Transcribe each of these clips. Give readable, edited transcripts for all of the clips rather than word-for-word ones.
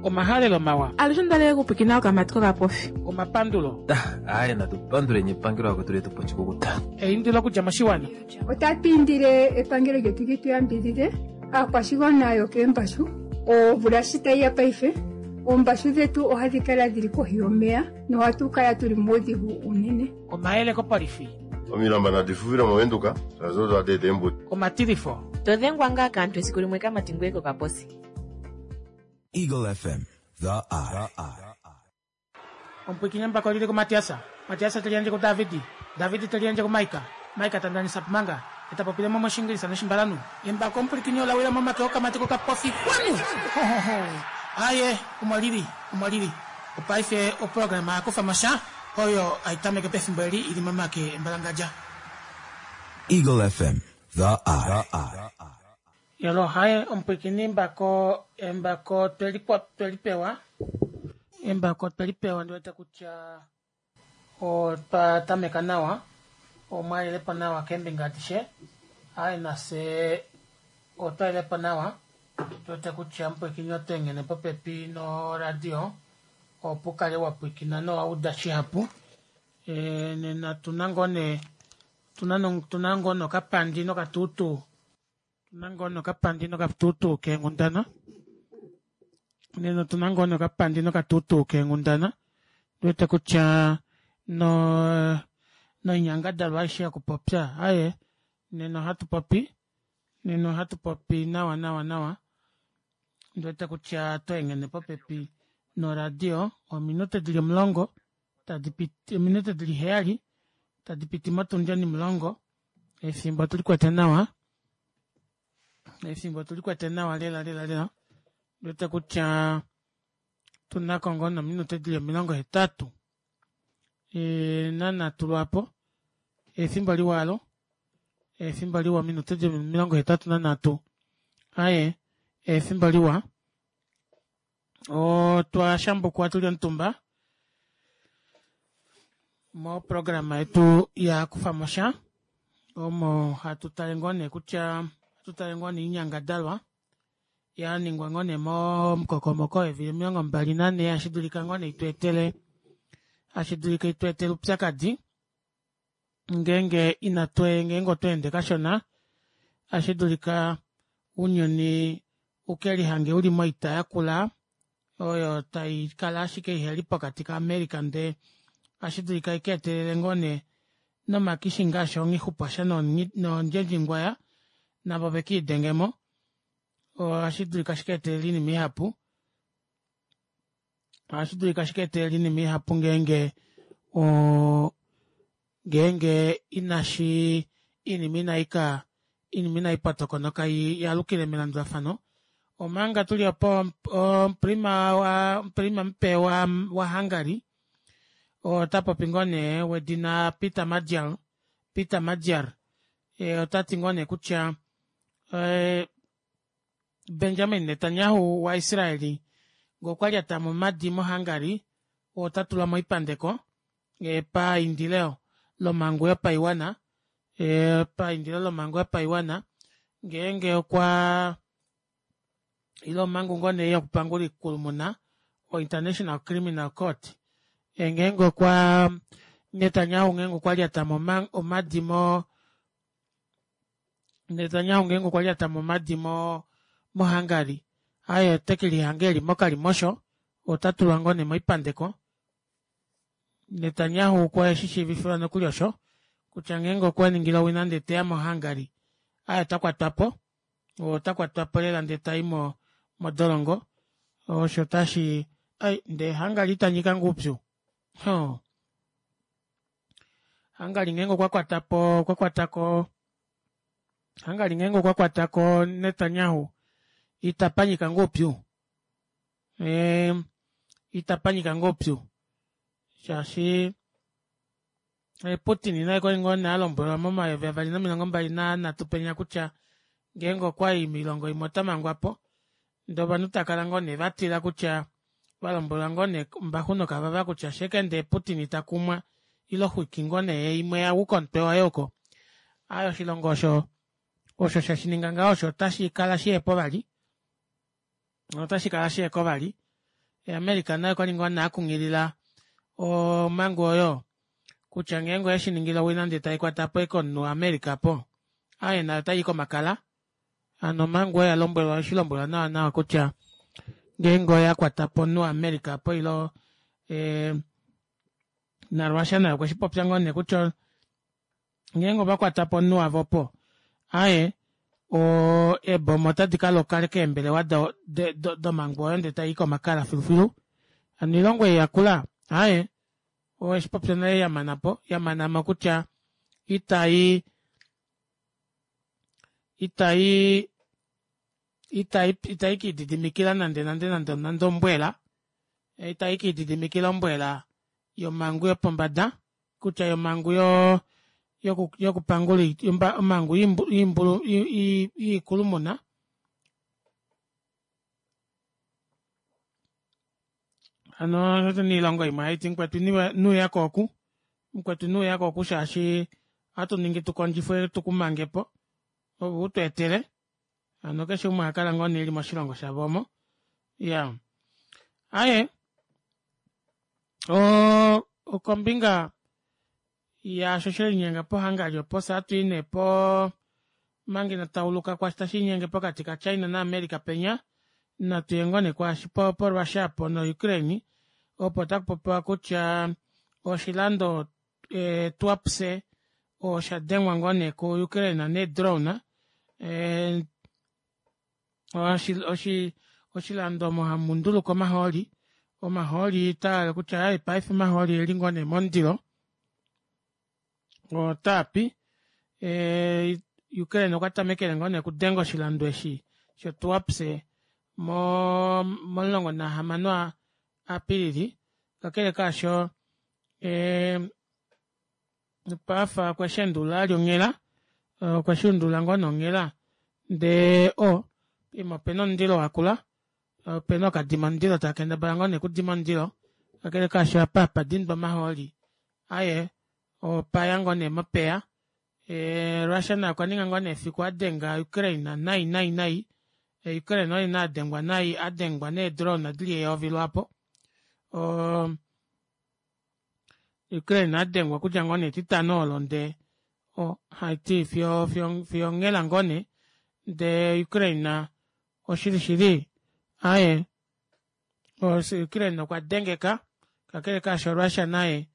Omahalelo mawa. Alushe ondalele kupwikina okamati kokapofi. Omapandulo. Aaye natu panduleni epangelo akwetu letu po oshikukuta. Eindilo okudja moshiwana. Otatu indile epangelo lyetu li tu yambidhidhe aakwashigwana yokeembashu. Omvula shi tayi ya paife, oombashu dhetu ohadhi kala dhili kohi yomeya nohatu kala tuli muudhigu uunene. Omayele kopolifi. Omilamba nadi fufile moVenduka, shaashi odo hadi eta eembuto. Omatilifo. To dhengwa ngaa kaantu esiku limwe kamati ngoye kokaposi. Eagle FM, the eye. Omupwiikini embako lili kuMatiasa, Matiasa te liyandje kuDavidi, Davidi te liyandje kuMaika, Maika ta ndanisa Pumanga, e ta popile mo mOshiingilisa nOshimbalanhu. Embako omupwilikini ola wila momake okamati kokapofi. Xwanu! Hohoho! Aaye, omo lili, omo lili. Opaife oprograma ya kufa mo sha, oyo hai tameke pefimbo eli i li momake embalangadja. Eagle FM, the eye. Yolo haye omupwikini embako embako tweli pewa embako tweli pewa ndi wete kutya otwa tameka nawa omwa lelepo nawa keembinga adishe aye nafye otwa lelepo nawa tu wete kutya omupwikini oto engene popepi noradio opo ukale wa pwikina nowa uda shihapu e, nena tuna ngoo nee tuna ngoo nokapandi nokatuutuu Otuna ngoo nokapandi nokatuutuu keenghundana. Nena otuna ngoo nokapandi nokatuutuu keenghundana. Ndi wete kutya no noinyangadalwa aishe yokupopya aye nena ohatu popi nena ohatu popi nawa nawa nawa. Ndi wete kutya to engene popepi noradio ominute dili 10 tadi piti ominute dili 7 tadi piti motundi onimulongo. Efimbo otuli kwete nawa. Efimbo otuli kwete nawa lela lela lela. Ndiwete kutya tuna ko ngoo nominute dili 80 e, nanhatu lwaapo. Efimbo liwa alo. Efimbo liwa ominute dili 83. Aye, efimbo liwa. Otwa shambukwa tuli omutumba moprograma yetu ya kufa mo sha omo hatu tale ngoo nee kutya hatu tale ngoo nee oinyangadalwa ya ningwa ngoo nee momukokomoko weevili 24 hashi dulika ngoo nee itweetele hashi dulika itweetele oupyakadi ngeenge inatu ngeenge otwa ende kashona ohashi dulika ounyuni u ke lihange u li moita yakula oyo tai kala ashike iheli pokati kaAmerica ndee ohashi dulika i ka etelele ngoo nee nomakishi ngaashi onghixupwasha noondjendjingwaya navo ve ke lidenge mo. Ohashi dulika shi ka etelele oinima ihapu. Ohashi dulika shi ka etelele oinima ihapu ngeenge o ngeenge inashi iinima inai ka iinima inai potokonoka i alukile melandulafano omanga tuli opo omuprima wa omuprima mupe wa waHungary ota popi ngoo nee wedina Peter Magyar Peter Magyar e, ota ti ngoo nee kutya e, Benjamin Netanyahu waIsraeli ngee okwa lyata momadi moHungary ota tulwa moipandeko e, paindilo lomhangu yopaiwana e, paindilo lomhangu yopaiwana ngeenge okwa ile omhangu ngoo nee yokupangula oikulumuna oInternational Criminal Court e, ngeenge okwa Netanyahu ngeenge okwa lyata mo omadi mo Netanyahu ngeenge okwa lyata mo omadi mo moHungary aye ote ke lihanga eli mokalimosho ota tulwa ngoo nee moipandeko Netanyahu okwe shi shiivifilwa nokuli osho kutya ngeenge okwa ningile owina ndee teya moHungary aye ota kwatwa po ota kwatwa po lela ndee tai mo modolongo osho tashi ai ndee Hungary ita nyika ngoo upyu ho Hungary ngeenge okwa kwata po okwa kwata ko Hungary ngeenge okwa kwata ko Netanyahu ita panyika ngoo upyu e, ita panyika ngoo upyu shaashi e, Putin naye kwali ngoo nee a lombwelwa momayovi avali nomilongo mbali nanhatu penya kutya ngeenge okwa i moilongo imwe ota mangwa po ndee ovanhu ta kala ngoo nee vatila kutya va lombwelwa ngoo nee ombaxu nokavava kutya sheke ndee Putin ta kumwa ile oxwiki ngoo nee imwe ya wu komutwe waye oko aye oshilongo osho osho she shi ninga ngaho osho otashi kala shihepo vali otashi kala shiheko vali. America naye okwali ngoo nee akunghilila omangu oyo kutya ngeenge oyeshiningile owina ndee taikwatapo ashike omunhu wa america opo aaye nayo otayi komakala hano omangu oyo oyalombwelwa oyeshilombwelwa nawa nawa kutya ngeenge oyakwatapo omunhu wa america opo ile ee na russia naye okweshipopya ngoo nee kutya ngeenge ovakwatapo omunhu wavo opo aaye oo eeboma otadi kaloka keembelewa domangu oyo ndee tayi komakala filufilu hano oilongo ei yakula aaye oyeshipopya nale yamanapo yamanamo kutya itayi itayi itayi kelididimikila nande nande nande ombwela itayi kelididimikila ombwela yomangu yopombada kutya yomangu yokupangula omangu yiikulumuna hano otuna oilongo imwe haiti mukwetu inuyako oku mukwetu inuyako oku shaashi ohatu ningi tukondjifwe tukumangepo ove utweetele hano keshe umwe ohakala ngoo nee eli moshilongo shavo omo iyaa aaye oo okombinga yaasho shelinyenga po hungary opo fyee ohatwii nee poo omanga ina tauluka kwaashi tashiinyenge pokati ka china na america penya natuye ngoo nee kwaashi po russia aapo no ukraine opo takupopiwa kutya oshilando tuapse oshadengwa ngoo nee ku ukraine nee drone oshilando omo hamundulukwa omahooli omahooli otaahale kutya aaye paife omahooli oeli ngoo nee momundilo otaapi ukraine okwa tamekele ngoo nee okudenga oshilando eshi sho tuapse moo momulongo nahamano apilili kakele kaasho opafa okwesheendulula vali onghela okweshuundulula ngoo nee onghela ndee oo poima opena omundilo wakula opena ookadima mundilo taakendabala ngoo nee okudima omundilo kakele kaasho apa hapadindwa omahooli aaye opaya ngoo nee mopeya russia naye okwaninga ngoo nee efiku adenga ukraine nai nai nai ukraine oye nee adengwa nai adengwa nee drone dili eyovi lwaapo oo Ukraine adengwa okudja ngoo nee etitano olo ndee haiti fiyo fiyo onghela ngoo nee ndee Ukraine oshili shili aaye Ukraine okwa dengeka kakele kaasho Russia naye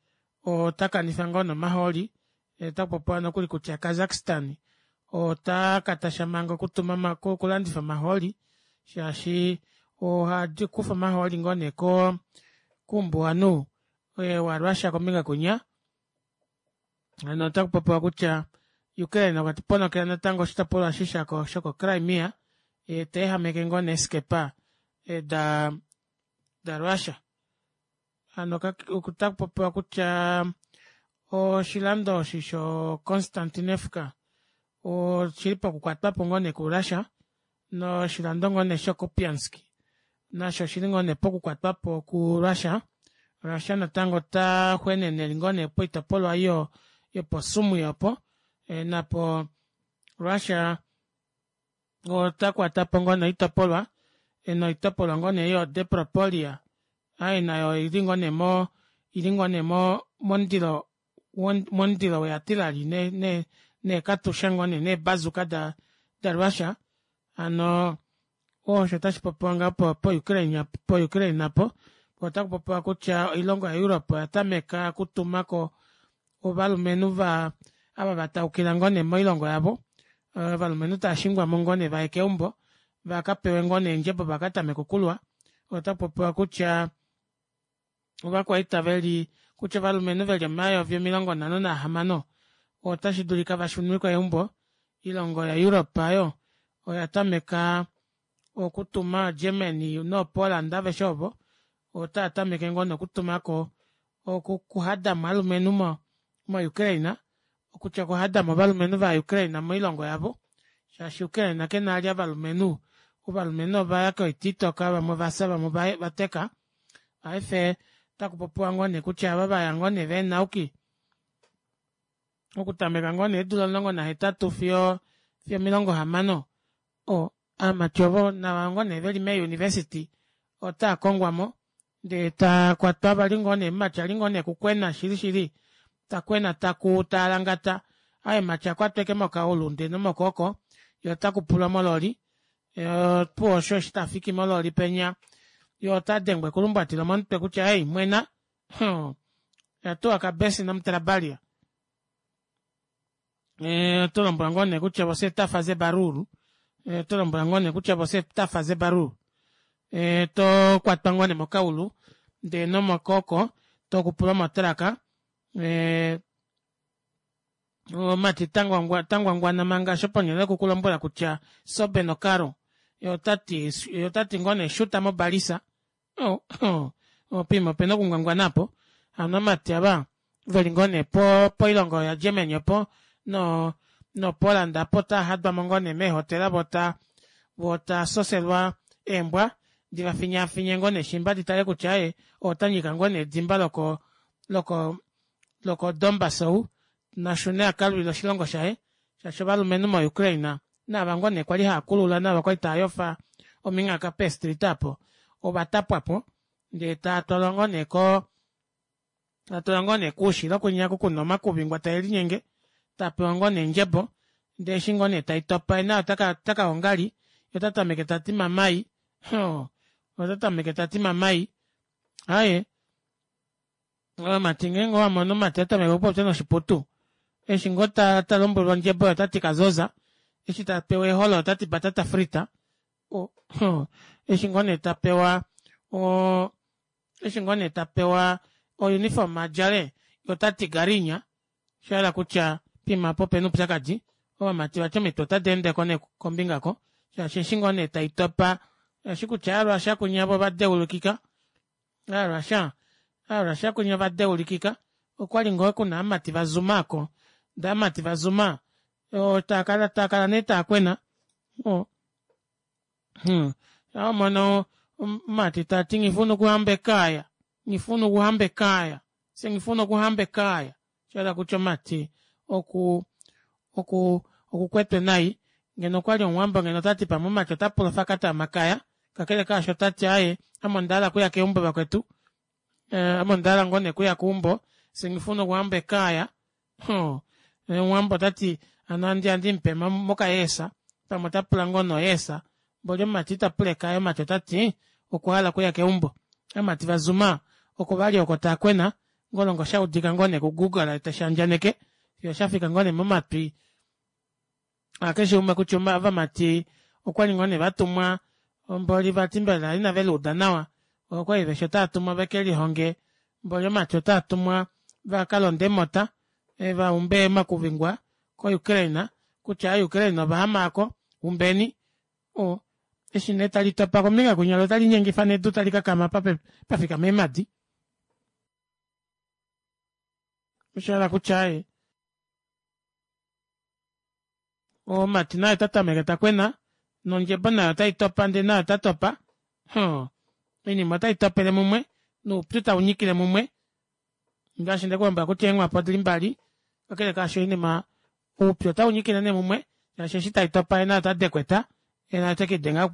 otakanifa ngoo nee omahooli otakupopiwa nokuli kutya Kazakhstan ota katasha manga okutuma okulandifa omahooli shaashi ohadikufa omahooli ngoo nee ko koumbuwanhu warussia kombinga kwinya hano otakupopiwa kutya Ukraine okwa ponokela natango oshitopolwa eshi shoko Crimea teehameke ngoo nee eeskepa da Russia hano otakupopiwa kutya oshilando eshi sho Konstantinivka oshili pokukwatwapo ngoo nee ku Russia noshilando ngoo nee sho Kupiansk nasho oshili ngoo nee pokukwatwapo ku Russia. Russia natango ota xwenene eli ngoo nee poitopolwa oyo yopo Sumwi opo napo Russia ota kwatapo ngoo nee oitopolwa noitopolwa ngoo nee yo Depropolia aaye nayo oili ngoo nee mo ili ngoo nee momundilo momundilo weatilali neekatusha ngoo nee neebazuka da Russia hano osho tashipopiwa ngaho po Ukraine po Ukraine apo otakupopiwa kutya oilongo ya Europe oya tameka okutumako ovalumenhu va ava vataukila ngoo nee moilongo yavo ovalumenhu taashingwamo ngoo nee vaye keumbo vakapewe ngoo nee eendjebo vakatameke okulwa otakupopiwa kutya ovakwaita veli kutya ovalumenhu veli omayovi 56 otashi dulika vashunwe keumbo oilongo ya Europe aayo oya tameka okutuma Germany no Poland aveshe ovo otava tameke ngoo nee okutumako okuhadamo ovalumenhu mo Ukraine okutya okuhadamo ovalumenhu va Ukraine moilongo yavo shaashi Ukraine kena vali ovalumenhu ovalumenhu ovaya koita itoka vamwe ovafya vamwe ovateka paife otakupopiwa ngoo nee kutya ava vaya ngoo nee veenauki okutameka ngoo nee eedula 18 fiyo 60 aamati ovo nava ngoo nee veli mee university otaa kongwamo. Ndee takwatwa vali ngoo nee mumati ali ngoo nee kukwena shili shili takwena takuu taalangata aaye mumati akwatwa ashike mokaulu ndee nomokwooko yee otakupulwa mololi opuwo osho eshi tafiki mololi penya yee otadengwa ekulumbwati lomomutwe kutya ei mwena mhoo oyatuwa kabesi nomutrabalia otolombwelwa ngoo nee kutya você ta fazer barulho otolombwelwa ngoo nee kutya você ta fazer barulho tokwatwa ngoo nee mokaulu ndee nomokwooko tokupulwa mo truck omumati tangwangwana manga osho ponele yoku kulombwela kutya sobe no carro yee otati ngoo nee shuta mo balisa oo poima opena okungwangwana aapo hano ovamati aava veli ngoo nee poilongo ya germany opo no poland aapo otaahadwamo ngoo nee meehotela voo taasoselwa eembwa divafinyaafinye ngoo nee shimba ditale kutya aaye ou otanyika ngoo nee edimba loko loko loko dombaas ou nashune akalwile oshilongo shaye shaashi ovalumenhu mo ukraine naava ngoo nee kwali haakulula naava kwali taayofa ominghaka pee street aapo ovatapwapo ndee taatwalwa ngoo nee koo tatwalwa ngoo nee koushilo kwinya oku kuna omakuvingwa taelinyenge tapewa ngoo nee ondjebo ndee eshi ngoo nee taitopa yee naye otaka ongali yee otatameke tati mamai hoo otatameke tati mamai aaye ovamati ngeenge owamono omumati atameka okupopya noshiputu eshi ngoo talombwelwa ondjebo yee otati kazoza eshi tapewa eeholo otati batata frita eshi ngoo nee tapewa oo eshi ngoo nee tapewa o uniform adjale yee otati garinha oshahala kutya poima aapo opena oupyakadi ovamati vati omitwe ota deendeko nee kombinga aako shaashi eshi ngoo nee taitopa oushi kutya aaRussia kunya voo ovadeulikika aaRussia, aaRussia kunya ovadeulikika okwali ngoo kuna ovamati va zuma aako ndee ovamati va zuma taakala nee taakwena shaawamono omumati tati nghifuna okuhamba ekaya nghifuna okuhamba ekaya fyee nghifuna okuhamba ekaya oshahala kutya omumati okuu oku okukwetwe nai ngeno okwali omuwambo ngeno otati pamwe omumati otapula ofakata yomakaya kakele kaasho otati aaye ame ondahala okuya keumbo vakwetu ame ondahala ngoo nee okuya keumbo fyee nghifuna okuhamba ekaya hoo omuwambo otati hano ohandimupe mokayeesa pamwe otapula ngoo nee oyeesa mboli omumati itapula ekaya omumati otati okwahala okuya keumbo ovamati va zuma oko vali oko taakwena ngolonga oshaudika ngoo nee ku google tashaandjaneke fiyo shafika ngoo nee momatwi akeshe umwe kutya ovamati okwali ngoo nee vatumwa mboli vati mbela inave luuda nawa okwali veshi otaatumwa vekelihonge mboli ovamati otaatumwa vakalonde eemota vaumbe omakuvingwa ko ukraine kutya aa ukraine ovahama aako umbeni eshi nee talitopa kombinga kwinya loo otalinyengifa nedu tali kakama apa pafikama eemadi oshahala kutya aaye omumati naye ota tameke takwena nondjebo nayo otai topa ndee naye ota topa hoo oinima otai topele mumwe noupyu taunyikile mumwe ngaashi ndekulombwela kutya eenghwapa odili mbali kakele kaasho oinima oupyu otaunyikile nee mumwe shaashi eshi tai topa yee naye ota dekweta yee naye otekiidenga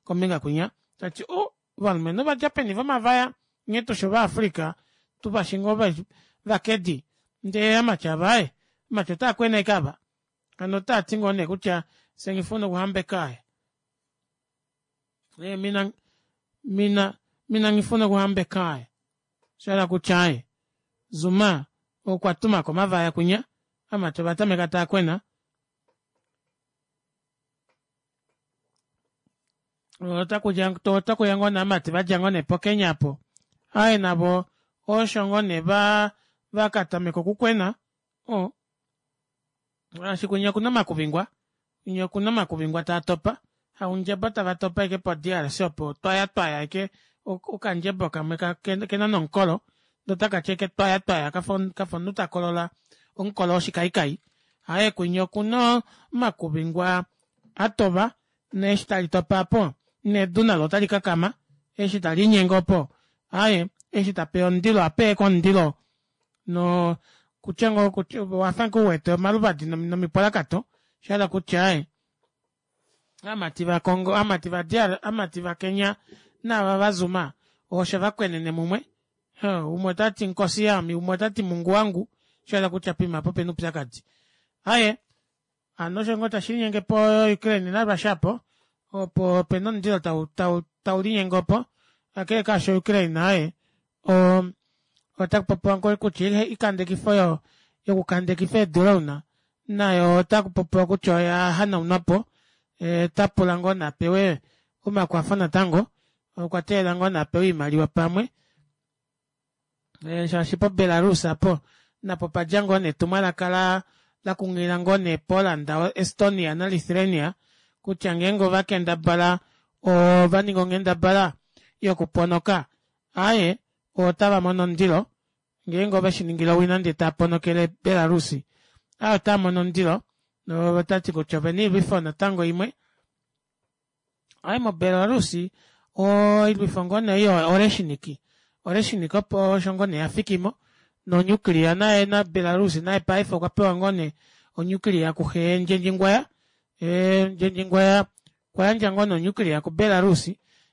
kombinga kwinya tati oh ovalumenhu ovadja peni vomavaya nghee tushi ova africa tuvashi ngoo vakedi ndee amati ava aaye amati otaakwena ashike ava hano otaati ngoo nee kutya fye nghifuna okuhamba ekaya ee mina mina mina nghifuna okuhamba ekaya oshahala kutya aaye zuma okwa tumako omavaya kwinya amati ovatameka taakwena otakuya ngoo nee ovamati vadja ngoo nee po kenya aapo aaye navo osho ngoo nee vakatameka okukwena shaashi kwinya okuna omakuvingwa kwinya okuna omakuvingwa taatopa haundjebo tava topa ashike po drc opo twaya twaya ashike okandjebo kamwe kena nomukolo ndee otakati ashike twaya twaya kafa omunhu takolola omukolo woshikaikai aaye kwinya okuna omakuvingwa atova neeshi tali topa aapo nedu nalo otali kakama eshi taliinyenge opo aaye eshi tapeya omundilo ohapeya ashike omundilo no kutya ngoo kutya owafa ngoo uwete omaluvadi nomipwalakato oshahala kutya aaye aamati va congo aamati va dr aamati va kenya naava va zuma. Osho vakwenene mumwe. Umwe otati nkosi yami, umwe otati mungu wangu, shahala kutya poima apo opena oupyakadi. Aaye, hano osho ngoo tashi linyenge po Ukraine naRussia apo, opo opena omundilo tau tau tau linyenge opo, kakele kaasho Ukraine aaye o ota kupopiwa ngoo kutya oikandekifo oyo yokukandekifa eedrone nayo ota kupopiwa kutya oya hanaunwapo, ota pula ngoo napewe omakwafo natango, okwa teelela ngoo napewe oimaliwa pamwe shaashi po Belarus apo napo padja ngoo netumwalaka la lakunghilila ngoo nee Poland, Estonia na Lithuania kutya ngeenge ova kendabala ova ninga onghendabala yokuponoka aaye otava mono omundilo ngeenge ove shi ningile owina ndee tava ponokele Belarus aaye otava mono omundilo notati kutya ovena oilwifo natango imwe Aye moBelarus oilwifo ngoo nee oyo Oreshiniki, Oreshiniki opo osho ngoo nee yafikimo nonuclear naye na Belarus naye paife okwa pewa ngoo nee onuclear kuxe Ndjendjingwaya, Ndjendjingwaya okwa yandja ngoo nee onuclear kuBelarus,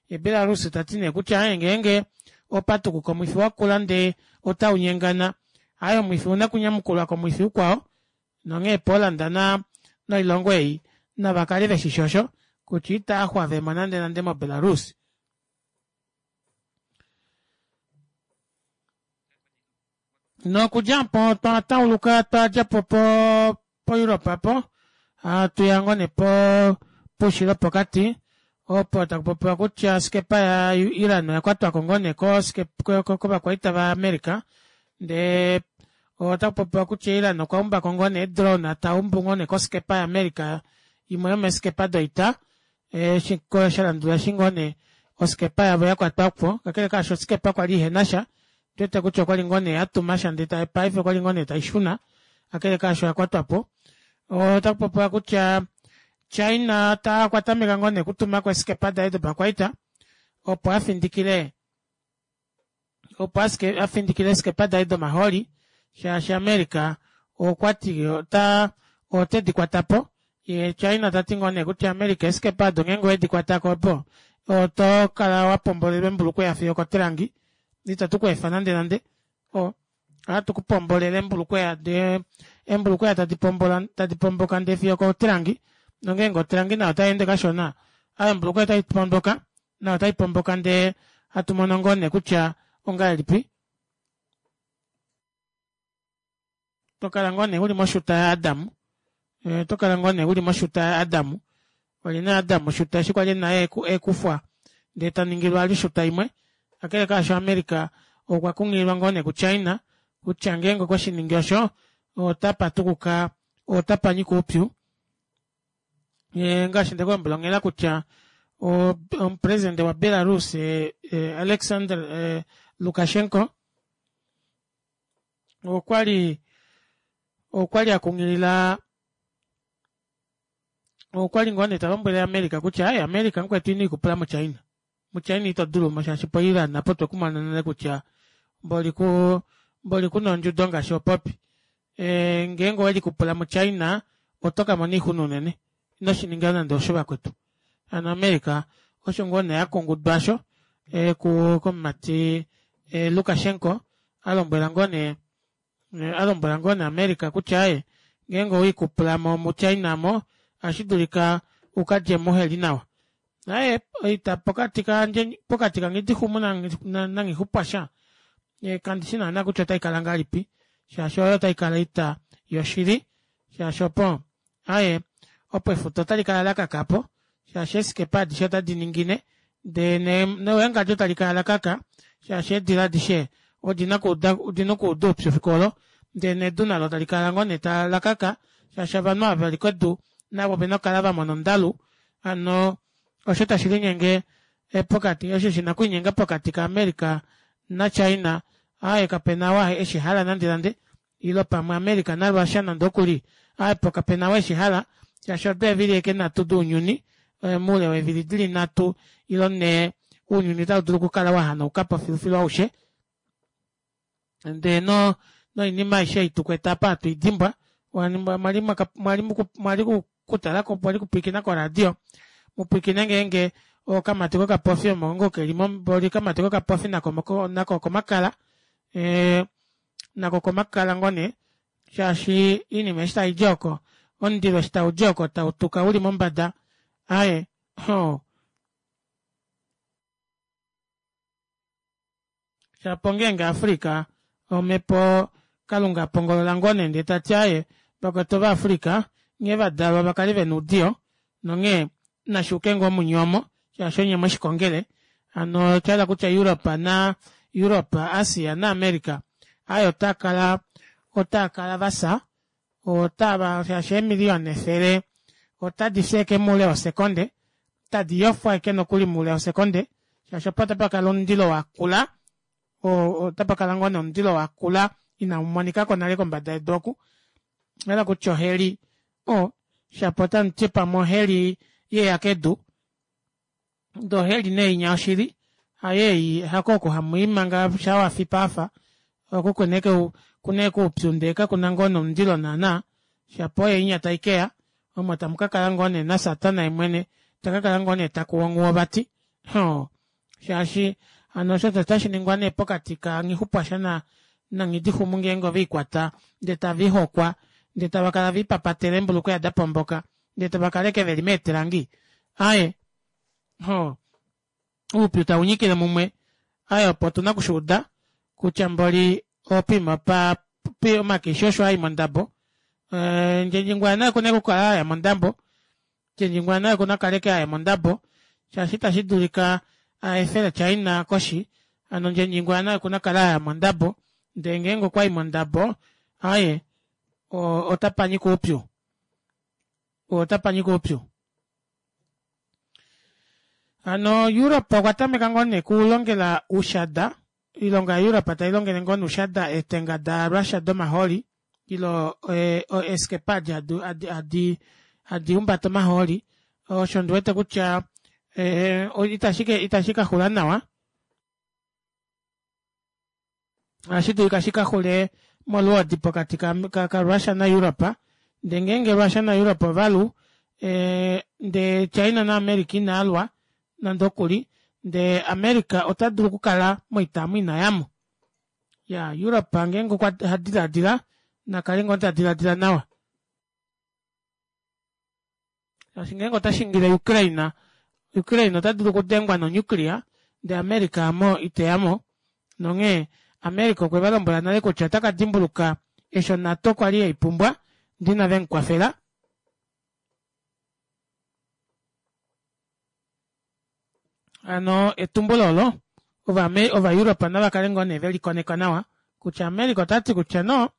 ye Belarus tati nee kutya aye ngeenge opatukuka omwifi wakula ndee otau nyengana aye omwifi ouna okunyamukulwa komwifi ukwao Nonghee Poland na noilongo ei nava kale ve shi shosho kutya itaa xwave mo nande nande moBelarus. Nokudja opo otwa tauluka twa dja po po poEurope apo hatu ya ngoo nee po poushilo pokati opo taku popiwa kutya oskepa ya Iran oya kwatwako ngoo nee kovakwaita vaAmerica ndee Otaku popiwa kutya Iran okwa umbako ngoo nee drone ta umbu ngoo nee koskepa yaAmerica imwe yomeeskepa doita eshi sha landula eshi ngoo nee oskepa yavo ya kwatwa po. Kakele kaasho oskepa kwali ihena sha, otwete kutya okwali ngoo nee ya tuma sha ndee paife okwali ngoo nee taishuna, kakele kaasho oya kwatwa po. Otaku popiwa kutya China ta okwa tameka ngoo nee okutumako eeskepa daye dopakwaita opo afindikile opo ashike a findikile eeskepa daye domahooli shaashi America okwati ota ote di kwata po ye China ta ti ngoo nee kutya America eeskepa odo ngeenge owedi kwata ko opo oto kala wa pombolelwa embulukweya fiyo okotelangi ita tu ku efa nande nande o ohatu ku pombolele embulukweya ndee embulukweya tadi pombola tadi pomboka ndee fiyo okotelangi nongeenge otelangi nayo otai ende kashona ayo embulukweya otai pomboka nayo otai pomboka ndee hatu mono ngoo nee kutya ongahelipi to kala ngoo nee uli moshuta yaAdam eh, to kala ngoo nee uli moshuta yaAdam oli na Adam oshuta eshi kwali naye ekufwa ndee ta ningilwa ali oshuta imwe kakele kaasho America okwa kunghililwa ngoo nee kuChina kutya ngeenge okwe shi ningi osho otapa tukuka otapa nyika oupyu ngaashi nde ku lombwela onghela kutya omupresidente waBelarus Alexander Lukashenko okwali okwali a kunghilila okwali ngoo nee ta lombwele America kutya aye America mukwetu ino ikupula moChina muChina ito dulu mo shaashi poIran apo twe kumona nale kutya mboli ku mboli kuna ondjudo ngaashi opopi e, ngeenge owe likupula muChina oto ka mona oixuna unene ino shi ninga nande osho vakwetu hano America osho ngoo nee akungudwa asho e, ku komumati e, Lukashenko a lombwela ngoo nee a lombwela ngoo nee America kutya aye ngeenge owe ikupula mo muChina mo ohashi dulika u ka dje muheli nawa Aye, oita pokati kandje pokati kaNghidixumu naNghixupwasha kandi shi naana kutya otai kala ngahelipi shaashi oyo otai kala oita yoshili shaashi opo aye opo efuta otali kala la kaka po shaashi eesikepa adishe otadi ningine ndee newengadjo tali kala la kaka shaashi eedila adishe odina okuuda odina okuuda oupyu fiku olo ndee nedu nalo tali kala ngoo nee la kaka shaashi ovanhu ava veli kedu navo ovena okukala va mona ondalu Hano osho tashi linyenge pokati, osho shi na okulinyenga pokati kaAmerica naChina, aaye kape na ou eshi hala nandenande, ilo pamwe America naRussia nande oku li, aaye po kape na ou eshi hala, shaashi odo eevili eke nhatu dounyuni, moule weevili di li nhatu ilo nhee, ounyuni otau dulu okukala wa hanauka po filufilu aushe. Ndee no, noinima aishe ei tu kwete apa hatu i dimbwa. Mwali, mwali, mwali kutala ko, mwali kupwilikina koradio, mu pwilikine ngeenge Okamati kokapofi omo ngoo ke li momboli okamati kokapofi nako nako okomakala ee nako okomakala ngoo nee shaashi oinima eshi taidi oko omundilo eshi taudi oko tautuka uli mombada aaye hoo Shapo ngeenge Africa omhepo Kalunga apongolola ngoo nee ndee tati aaye vakwetu ova Africa nghee vadalwa vakale vena oudiyo nonghee nashuuke ngoo munye omo shaashi onye mweshikongele hano oshahala kutya Europe na Europe, Asia na America aaye otaakala otaakala vafya otava shaashi eemiliyona 100 otadi fi eke moule wosekonde tadi yofwa eke nokuli moule wosekonde shaashi opo otapa kala omundilo wakula otapa kala ngoo nee omundilo wakula inau monika ko nale kombada yedu oku hala kutya oheli o shapo otamu ti pamwe oheli yeya kedu ndee oheli nee inya oshili hayeyi hako oku hamu i manga sha wafi paafa oku kuna eke kuna eke oupyu ndee kakuna ngoo nomundilo naana shapo oye inya taikeya omo tamu kakala ngoo nee nasatana yemwene takakala ngoo nee takuwu onghuwo vati hoo shaashi hano osho otashi ningwa nee pokati ka nghixupwasha na nanghidixumu ngeenge oveikwata ndee tave ihokwa ndee tava kala veipapatela eembulukweya dapomboka ndee tava kala eke veli meetelangi aaye hoo oupyu tau nyikile mumwe aaye opo otuna okushuuda kutya mboli opima pa omakishi osho ai mondabo ndjendjingwa naye okuna okukala aya mondambo ndjendjingwa naye okuna okukala eke aya mondambo shaashi itashi dulika aefele China koshi hano ndjendjingwa naye okuna okukala aya mondambo ndee ngeenge okwayi mondambo aaye otapa nyika oupyu otapa nyika oupyu hano Europe okwa tameka ngoo nee kulongela oushada oilonga ya Europe tailongele ngoo nee oushada eetenga da Russia domahooli ilo eeskepa adi hadi hadi humbata omahooli osho ndiwete kutya itashi kaxula nawa ohashi dulika shi ka xule molwoodi pokati kaRussia naEurope ndee ngeenge Russia naEurope ovalu ndee China naAmerica inaalwa nande okuli ndee America ota dulu okukala moita omo inayamo ya Europe ngeenge okwa hadilaadila nakale ngoo tadilaadila nawa shaashi ngeenge ota shingile Ukraine, Ukraine ota dulu okudengwa nonuclear ndee America amo iteyamo nonghee America okwe va lombwela nale kutya ota ka dimbuluka eshi oNATO kwali yeipumbwa ndee inave mukwafela. Hano etumbulo olo Ovaeurope nava kale ngoo nee velikoneka nawa kutya America ota ti kutya no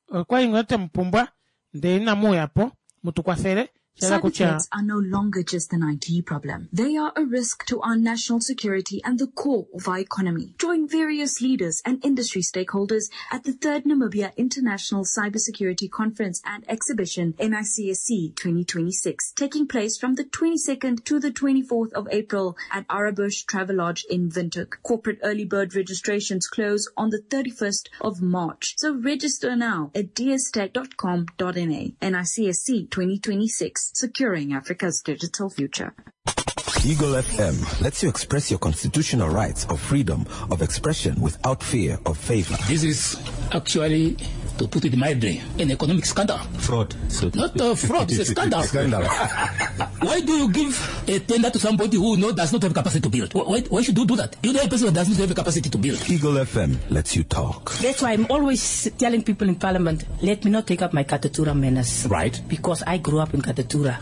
okwali ngoo twe mupumbwa ndee inamu uya po mutu kwafele sha hala Cyber kutya threats are no longer just an IT problem. They are a risk to our national security and the core of our economy. Join various leaders and industry stakeholders at the third Namibia International Cybersecurity Conference and Exhibition, NICSC 2026, taking place from the 22nd to the 24th of April at Arabush Travelodge in Windhoek. Corporate early bird registrations close on the 31st of March. So register now at dstech.com.na. NICSC 2026, securing Africa's digital future. Eagle FM lets you express your constitutional rights of freedom of expression without fear of favor. This is actually, to put it mildly, an economic scandal. Fraud. So Not a fraud, it's a scandal. Scandal. Why do you give a tender to somebody who know does not have capacity to build? Why should you do that? You know a person who does not have the capacity to build. Eagle FM lets you talk. That's why I'm always telling people in Parliament, let me not take up my Katutura manners. Right. Because I grew up in Katutura.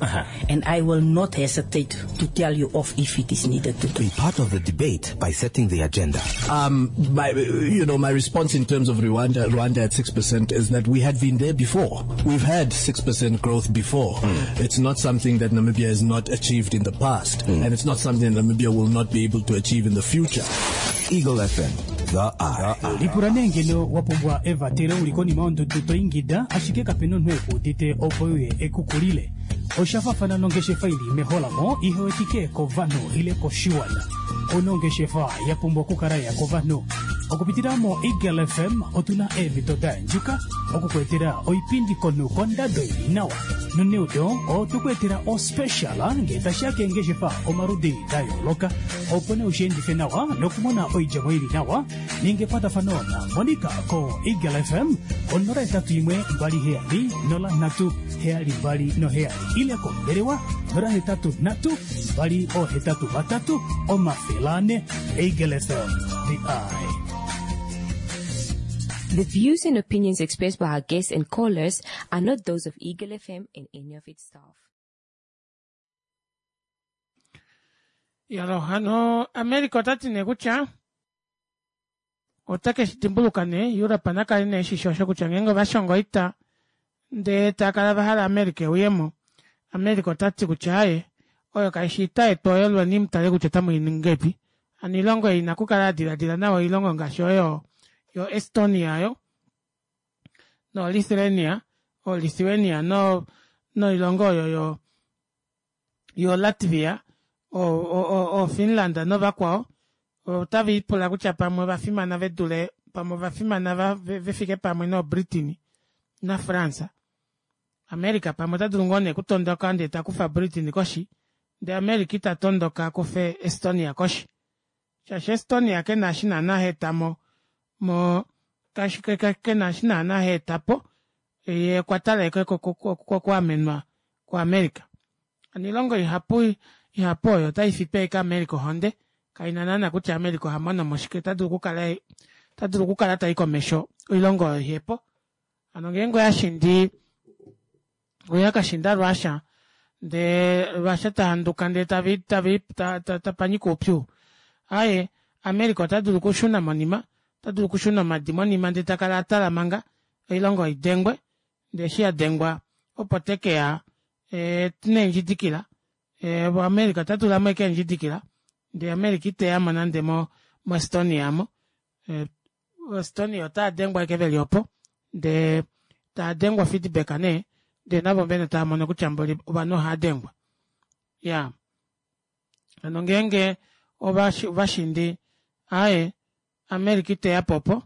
And I will not hesitate to tell you off if it is needed to. Be part of the debate by setting the agenda. My response in terms of Rwanda at 6% is that we had been there before. We've had 6% growth before. It's not something that Namibia has not achieved in the past, and it's not something that Namibia will not be able to achieve in the future. Eagle FM, the Eye. Lipula nee ngeno wa pumbwa evatelo uli konima yondudu to ingida ashike kapena omunhu ekuudite opo uye ekukulile. Osha fafana nongeshefa ili meholamo ihewetike kovanhu ile koshiwana. Ouna ongeshefa ya pumbwa okukala ya kovanhu. Okupitila mo Eagle FM otuna eemhito da yandjuka Oku ku etela oipindi konhu kondado ili nawa. Noneudo otwe ku etela ospecial ngee tashi ya keengeshefa omaludi da yooloka. Opo nee ushiendife nawa nokumona oidjemo ili nawa, ninga ekwatafano na Monica ko Eagle FM ko 081 27 03 72 ile kombelewa 083 283 400. Eagle FM, the eye. The views and opinions expressed by our guests and callers are not those of Eagle FM and any of its staff. Yalo hano America ota ti nee kutya ota ke shi dimbuluka nee Europe na kale nee shishi osho kutya ngeenge ova shonga oita ndee tava kala va hala America euyemo America ota ti kutya aaye oyo kaishi oita yetu oyo lweni mutale kutya otamu i ningi ngahelipi Hano oilongo ei ina kukala ya diladila nawa oilongo ngaashi oyo yo Estonia yo no Lithuania, o Lithuania no noilongo oyo yo yo Latvia, o, o, o, o Finland novakwao otave ipula kutya pamwe ova fimana ve dule pamwe ova fimana va, ve, ve fike pamwe noBritain naFrance. America pamwe ota dulu ngoo nee kutondoka ndee ta kufa Britain koshi Ndee America ita tondoka a kufe Estonia koshi. Shaashi Estonia ke na eshi naana ha eta mo, mo, kashi, ke, ke, ke na eshi naana ha eta po. Ye okwa tala eke kokuamenwa kuAmerica. Hano oilongo ihapu, ihapu oyo otai fipe ashike America ohonde. Kai na naana kutya America oha mono mo shike. Ota dulu okukala, ota dulu okukala tai komesho oilongo oyo ihe po. Hano ngeenge oya shindi oya ka shinda Russia ndee Russia ta handuka ndee tavi tavi ta, ta, ta panyika oupyu aye America ota dulu okushuna monima ota dulu okushuna omadi monima ndee ta kala a tala manga oilongo idengwe ndee eshi ya dengwa opo te ke ya e, neendjidikila e, America ota tula mo eke eendjidikila ndee America iteya mo nande mo moEstonia mo e, Estonia otava dengwa ashike veli opo ndee tava dengwa feedback nee ndee navo vene tava mono kutya mboli ovanhu ohava dengwa ya hano ngeenge ovashindi aye America iteya po opo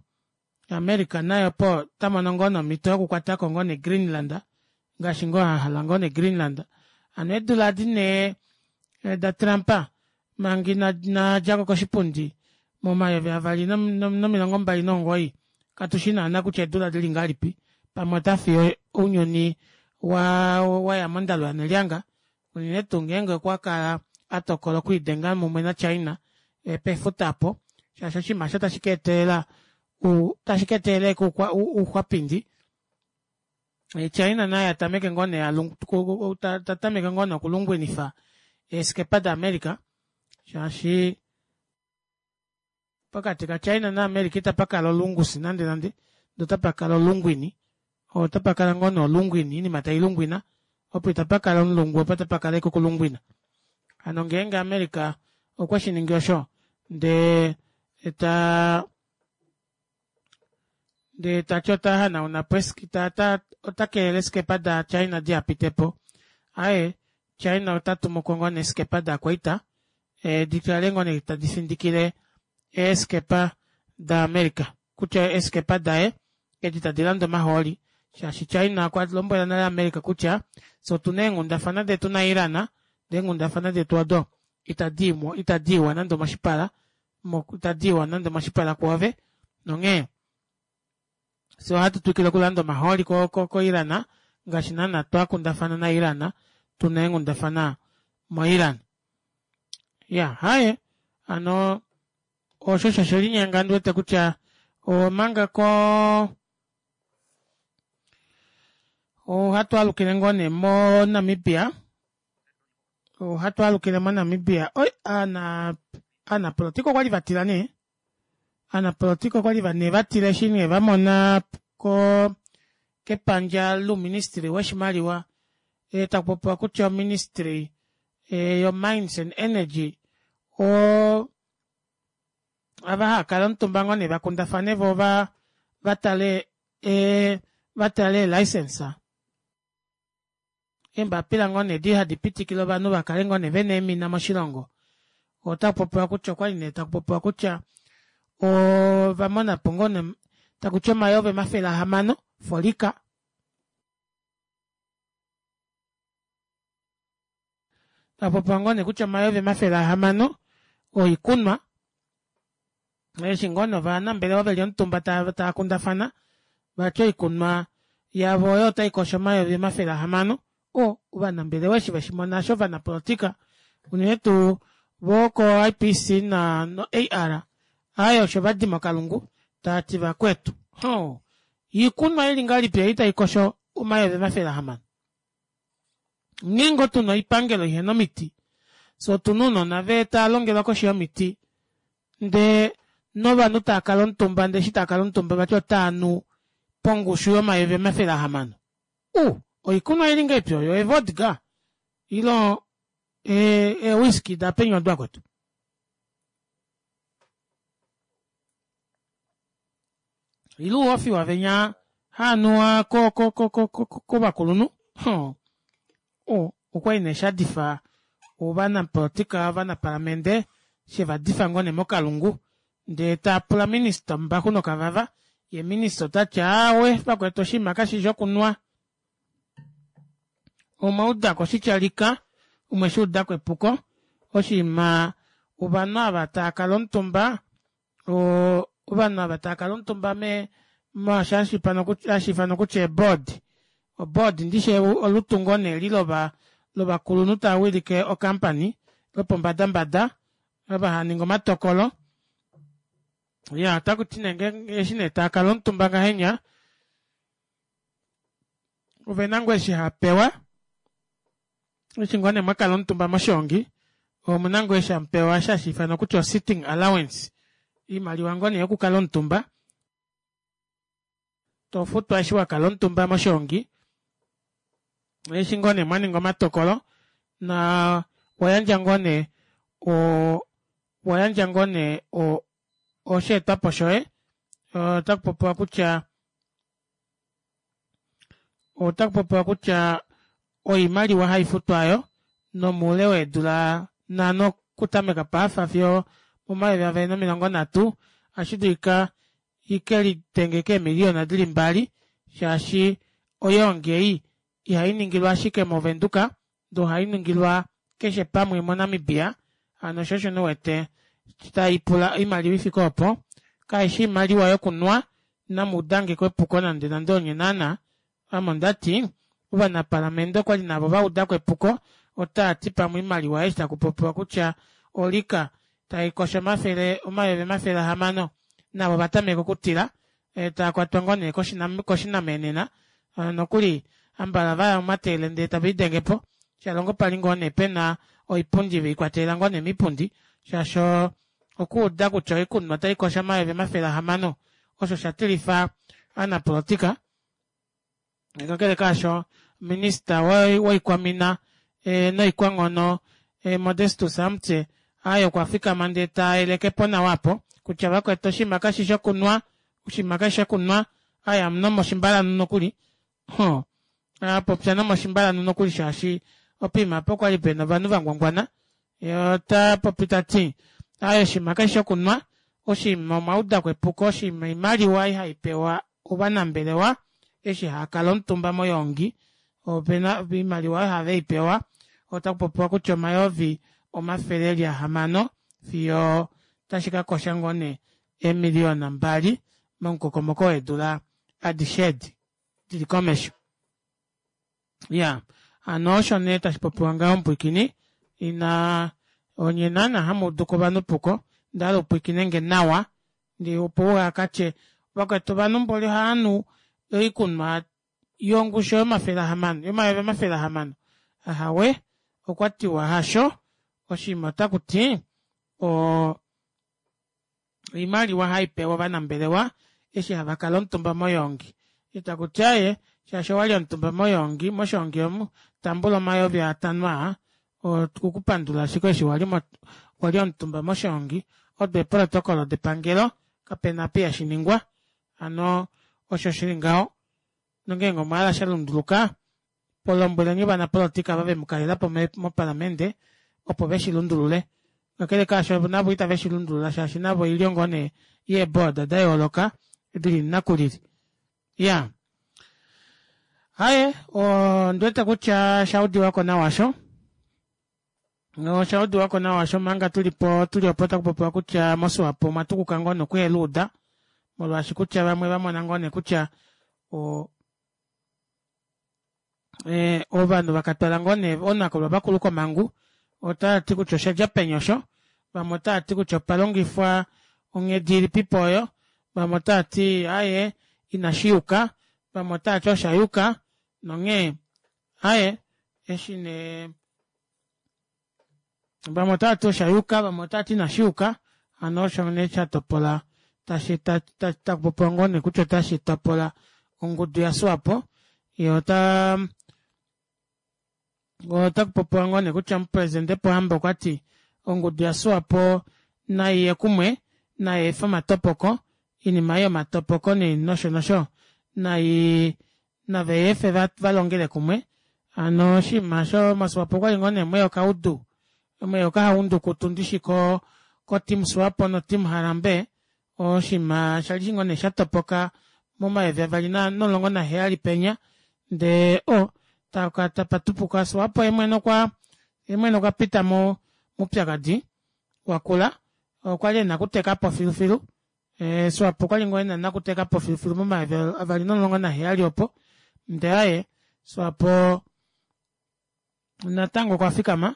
America naye opo ota mono ngoo nomhito yokukwatako ngoo ne Greenland ngaashi ngoo a hala ngoo ne Greenland hano eedula adi nee eh, da Trump manga ina djako koshipundi momayovi avali no29 katu shi naana kutya eedula dili ngahelipi pamwe ota fiye ounyuni wa waya mondalo yanelyanga unene tuu ngeenge okwa kala a tokola okwiidenga mumwe naChina eh, pefuta apo shaashi oshinima osho tashi ka etelela tashi ka etelela ouxwapindi Eh, China naye atameke ngoo nee ta tameke ngoo nee okulungwinifa eeskepa daAmerica shaashi pokati kaChina naAmerica itapa kala olungusi nande nande ndee otapa kala olungwini otapa kala ngoo nee olungwini oinima tai lungwina opo itapa kala omulungu opo tapa kala ashike okulungwina hano ngeenge America okwe shi ningi osho ndee ta ndee ta ti ota hanauna po ota kelele eeskepa daChina diha pite po. Aaye, China ota tumu ko ngoo nee eeskepa daakwaita eh, di kale ngoo nee tadi findikile eeskepa daAmerica kutya eeskepa daye edi tadi lande omahooli shaashi China okwa lombwela nale America kutya fye otu na eenghundafana detu naIran ndee eenghundafana detu odo itadi itadi iwa nande omoshipala itadi iwa nande omoshipala kwoove nonghee fye ohatu twikile okulanda omahooli koIran ngaashi naana twa kundafana naIran tu na eenghundafana moIran. Ya haye hano osho osho she linyenga ndi wete kutya omanga ko ohatu alukile ngoo nee moNamibia ohatu alukile moNamibia oi ana aanapolotika okwali vatila nee Aanapolotika okwali va nee vatila eshi nee va mona ko kepandja louministry woshimaliwa e, taku popiwa kutya oministry e, yo mines and energy o ava hava kala omutumba ngoo nee va kundafane vo va va tale e, va tale eelicense Eembapila ngoo nee edi hadi pitikile ovanhu va kale ngoo nee vena eemina moshilongo otaku popiwa kutya okwali nee taku popiwa kutya ova mona po ngoo nee taku ti omayovi 600, for liquor. Tapopiwa ngoo nee kutya 600,000 oikunwa eshi ngoo nee ovanambelewa veli omutumba tava kundafana vati oikunwa yavo oyo otai kosho 600,000 o ovanambelewa eshi veshimona eshi ovanapolitika unene tuu voo ko IPC na no AR aaye osho vadima okalungu taati vakwetu hoo iikunwa ili ngahelipi ei taikosho 600,000 Nghee ngoo tuna oipangelo ihena omiti, fyee otuna ounona vee tava longelwa koshi yomiti ndee novanhu tava kala omutumba ndee eshi tava kala omutumba vati otava nu pongushu yomayovi 600. U! Oikunwa ili ngahelipi oyo? Eevodka ile eewhiskey dapenyu odo akwetu? Ile ouhofiwa venya haanuwa kovakulunhu? Okwali nee shadifa ovanapolitika ovanapalamente shevadifa ngoo nee mokalungu ndee taapula minista ombaxu nokavava yee minista otati aawe vakwetu oshinima kashishi okunwa omwaudako oshitya lika omweshuudako epuko oshinima ovanhu ava taakala omutumba ovanhu ava taakala omutumba me mwaasho hashi ifanwa kutya eeboard oboard ndishi olutu ngoo nee eli lovakulunhu tava wilike ocompany lopombadambada ava hava ningi omatokolo iya otakuti nee eshi nee taakala omutumba ngahenya ovena ngoo eshi haapewa eshi ngoo nee mwakala omutumba moshiongi omuna ngoo eshi hamupewa eshi hashi ifanwa kutya o-sitting allowance oimaliwa ngoo nee yokukala omutumba tofutwa eshi wakala omutumba moshiongi eshi ngoo nee mwaninga omatokolo na wayandja ngoo nee wayandja ngoo nee osheetwapo shoye otakupopiwa kutya Otaku popiwa kutya oimaliwa haifutwa oyo nomoule weedula nanho okutameka paafa fiyo omo2030 ohashi dulika ike lidenge keemiliyona dili mbali shaashi oyoongi ei ihai ningilwa ashike moVenduka ndee ohai ningilwa keshe pamwe moNamibia hano sho osho nee uwete taipula oimaliwa ifike opo kaishi oimaliwa yokunwa namuudangeko epuko nande nande onye naana ame ondati ovanapalamente okwali navo vaudako epuko otaati pamwe oimaliwa eshi takupopiwa kutya olika taikosho 600,000 navo ovatameka okutila taakwatwa ngoo nee koshinamenena nokuli ambala vaya momatele ndee tave lidengepo shalongo pali ngoo nee pena oipundi veikwatelela ngoo nee miipundi shaashi okuuda kutya oikunwa otaikosho 600,000 osho sha tilifa ovanapolotika kakele kaasho minista woikwamina noikwanghono Modestus Amutse aye okwa fikama ndee tayelekepo nawa apo kutya vakwetu oshinima kashishi okunwa oshinima kashishi okunwa aye amunomoshimbalanu nokuli ho apopya nomoshimbalanu nokuli shaashi opiima apo okwali pena ovanhu vangwangwana ye ota popi tati aye oshinima kashishi okunwa oshinima omwaudako epuko oshinima oimaliwa ei haipewa ovanambelewa eshi haakala omutumba moyoongi opena oimaliwa oyo have ipewa otakupopiwa kutya 600,000 fiyo tashi kakosha ngoo nee eemiliyona mbali momukokomoko weedula adishe edi dili komesho. Ya hano osho nee tashi popiwa ngaho mupwiikini ina onye naana hamuuduko ovanhu puko ndahala upwiikinenge nawa ndee opo uhakatye vakwetu ovanhu mboli ohaanu oikunwa yongushu yomafelahama yomayovi 600 ahawe okwatiwa hasho oshinima otakuti oo oimaliwa haipewa ovanambelewa eshi hava kala omutumba moyoongi itakuti aaye shaashi owali omutumba moyoongi moshongi omu tambula 5000 aa okukupandula ashike eshi wali wali omutumba moshongi odo eprotocolo depangelo kapena apa ihashiningwa hano osho shili ngaho nongeenge omwa hala shalunduluka lombweleni ovanapolotika ava vemukalelapo mopalamente opo veshi lundulule kakele kaasho navo itave shi lundulula shaashi navo oilyo ngoo nee yeeboard da yooloka dili nakulili ya. Haye ondiwete kutya shaudiwako nawa osho oshaudiwako nawa osho manga tulipo tuli opo takupopiwa kutya moSwapo omwa tukuka ngoo nokuheluuda molwaashi kutya vamwe vamona ngoo nee kutya o eh, ovanhu vakatwala ngoo nee oonakulwa vakulu komangu otava ti kutya oshadja peni osho vamwe otava ti kutya opa longifwa onghedi ilipipo oyo vamwe otava ti aaye inashi yuka vamwe otava ti osha yuka nonghee aaye eshi nee vamwe otava ti osha yuka vamwe otava ti inashi yuka hano osho nee sha topola tashi takupopiwa ngoo nee kutya otashi topola ongudu yaSwapo ye ota otakupopiwa ngoo nee kutya omupresidente Pohamba okwa ti ongudu yaSwapo nai ye kumwe nai efe omatopoko oinima ei yomatopoko nosho nosho nai nave efe va longele kumwe hano oshinima osho moSwapo okwali ngoo nee mweya okaudu mweya okahaundukutu ndishi ko ko team Swapo no team Harambee oshinima shali ngoo nee shatopoka momayovi avali nomulongo naheyali penya ndee o tapatupuka Swapo yemwene okwa yemwene okwa pita mo moupyakadi wakula okwali ena okutekapo filufilu Eh, Swapo okwali ngoo ena nakuteka po filufilu momayovi avali nomulongo naheyali opo ndee aye Swapo natango okwa fikama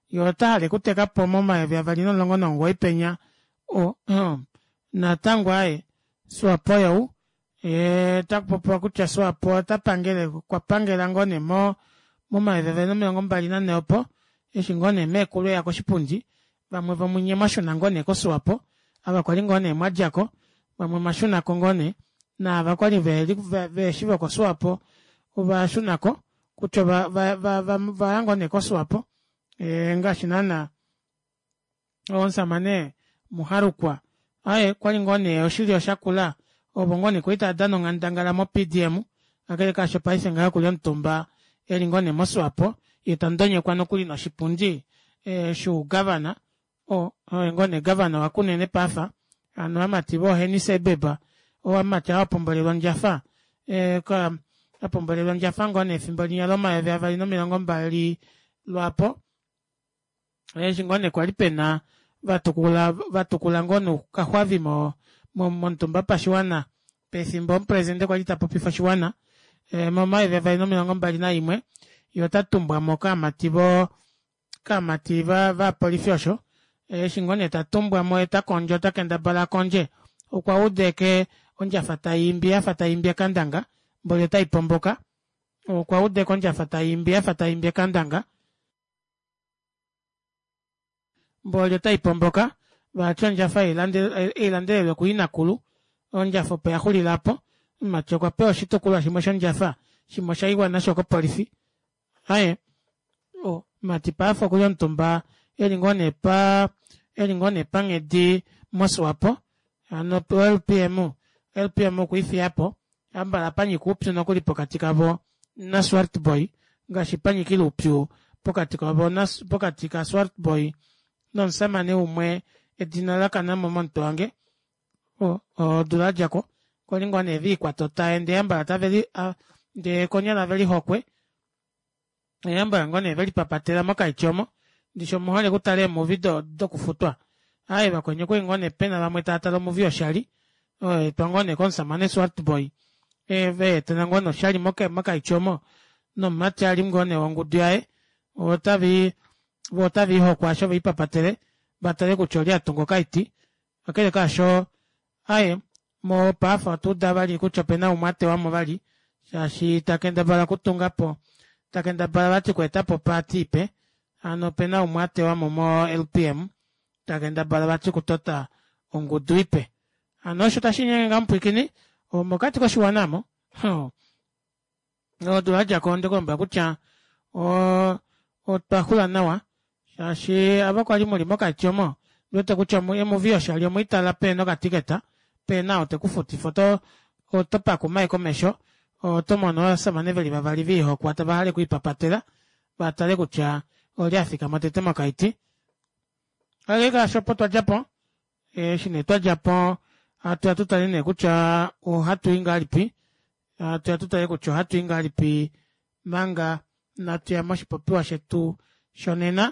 ye ota hale okuteka po momayovi avali nomulongo nomugoyi penya o natango aye Swapo you ye takupopiwa kutya Swapo ota pangele okwa pangela ngoo nee mo momayovi avali nomilongo mbali nanhe opo eshi ngoo nee meekulu eya koshipundi vamwe vomunye mwashuna ngoo nee koSwapo ava kwali ngoo nee mwadjako vamwe mwashunako ngoo nee naava kwali veheshi vokoSwapo ovashunako kutya ovaya ngoo nee koSwapo e, ngaashi naana omusamane Muharukwa aye kwali ngoo nee oshilyo shakula ovo ngoo nee kwali tava dana onghandangala moPDM kakele kaasho paife ngaha okuli omutumba eli ngoo nee moSwapo ye tandonyekwa nokuli noshipundi e, shuugavana o oye ngoo nee gavana waKunene paafa hano amati vooHenny Seibeb oamati aa apombolelwa ondjafa e, ka apombolelwa ondjafa ngoo nee efimbo linya lomayovi avali nomilongo mbali lwaapo eshi ngoo nee kwali pena vatukula vatukula ngoo nee okaxwavi mo momutumba pashiwana pefimbo omupresidente kwali ta popifa oshiwana e, momayovi avali nomilongo mbali naimwe ye ota tumbwa mo kaamati vo kaamati va vapolifi osho eshi ngoo nee ta tumbwa mo ye ta kondjo ta kendabala a kondje okwa udeke ondjafa tai imbi yafa tai imbi ekandanga mboli otai pomboka okwa udeka ondjafa tai imbi yafa tai imbi ekandanga mboli otai pomboka vati ondjafa eilandelelwe kuinakulu ondjafa opo ya xulila po omumati okwa pewa oshitukulwa shimwe shondjafa shimwe osha iwa nasho kopolifi aye omumati paife okuli omutumba eli ngoo nee pa eli ngoo nee panghedi moSwapo hano LPM LPM okwiifiya po ambala panyika oupyu nokuli pokati kavo naSwartboy ngaashi panyikile oupyu pokati kavo pokati kaSwartboy nomusamane umwe edina lakana mo momutwe wange odula yadjako kwali ngoo nee viikwata otaye ndee ambala tave ndee konyala veli hokwe eembwa ngoo nee velipapatela mokaiti omo ndishi omuhole okutala eemuvi dokufutwa aaye vakweni okwali ngoo nee pena vamwe tava tale omuvi yoshali oyo etwa ngoo nee komusamane Swartboy veetela ngoo nee oshali mokaiti omo nomumati ali ngoo nee wongudu yaye otavi vo otave ihokwa asho veipapatele vatale kutya olye atunga okaiti kakele kaasho aye mopaafa otwa uda vali kutya opena umwe atewamo vali shaashi ta kendabala okutunga po ta kendabala vati okweetapo opaati ipe hano opena umwe atewamo mo LPM ta kendabala vati okutota ongudu ipe hano osho tashi nyenge nga mupwiikini omokati koshiwana mo odula yadjako onde kulombwela kutya otwa xula nawa shaashi ava kwali muli mokati omo ndiwete kutya emuvi yoshali omweitala pehena okatiketa pehena ou tekufutifa oto oto pakuma ashike omesho oto mono ovashamane veli vavali viihokwa tava hale okwiipapatela vatale kutya olye afikama tete mokaiti kakele kaasho opo twadjapo eshi nee twadjapo hatu ya tutale nee kutya ohatu i ngahelipi. Hatuya tutale kutya ohatu i ngahelipi manga natuya moshipopiwa shetu shonena.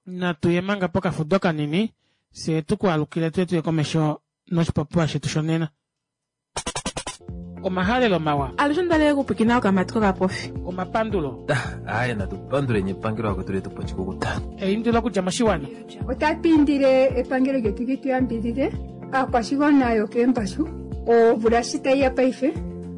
Natu ye manga pokafudo kanini fyee tuku alukile tuye tuye komesho noshipopiwa shetu shonena. Omahalelo mawa. Alushe ondalele okupwiikina okamati kokapofi. Omapandulo. Aaye natu panduleni epangelo vakwetu letu po oshikukuta. Eindilo okudja moshiwana. Otatu indile epangelo lyetu li tu yambidhidhe aakwashigwana yokeembashu. Omvula shi tayi ya paife,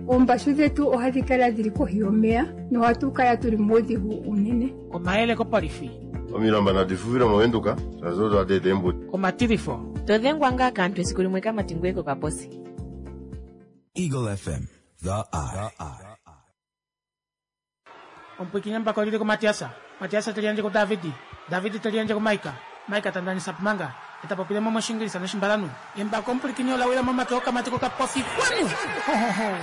oombashu dhetu ohadhi kala dhili kohi yomeya nohatu kala tuli muudhigu uunene. Omayele kopolifi. Omilamba nadi fufile mOvenduka, shaashi odo hadi eta eembudi. Omatilifo. To dhengwa ngaa kaantu esiku limwe kamati ngoye kokaposi. Eagle FM, the eye. Omupwiikini embako olili kuMatiasa, Matiasa te liyandje kuDavidi, Davidi te liyandje kuMaika, Maika ta ndanisa Pumanga, e ta popile mo mOshingilisa nOshimbalanhu. Embako omupwilikini ola wila momake okamati kokapofi. Kwanu! Ho, ho, ho!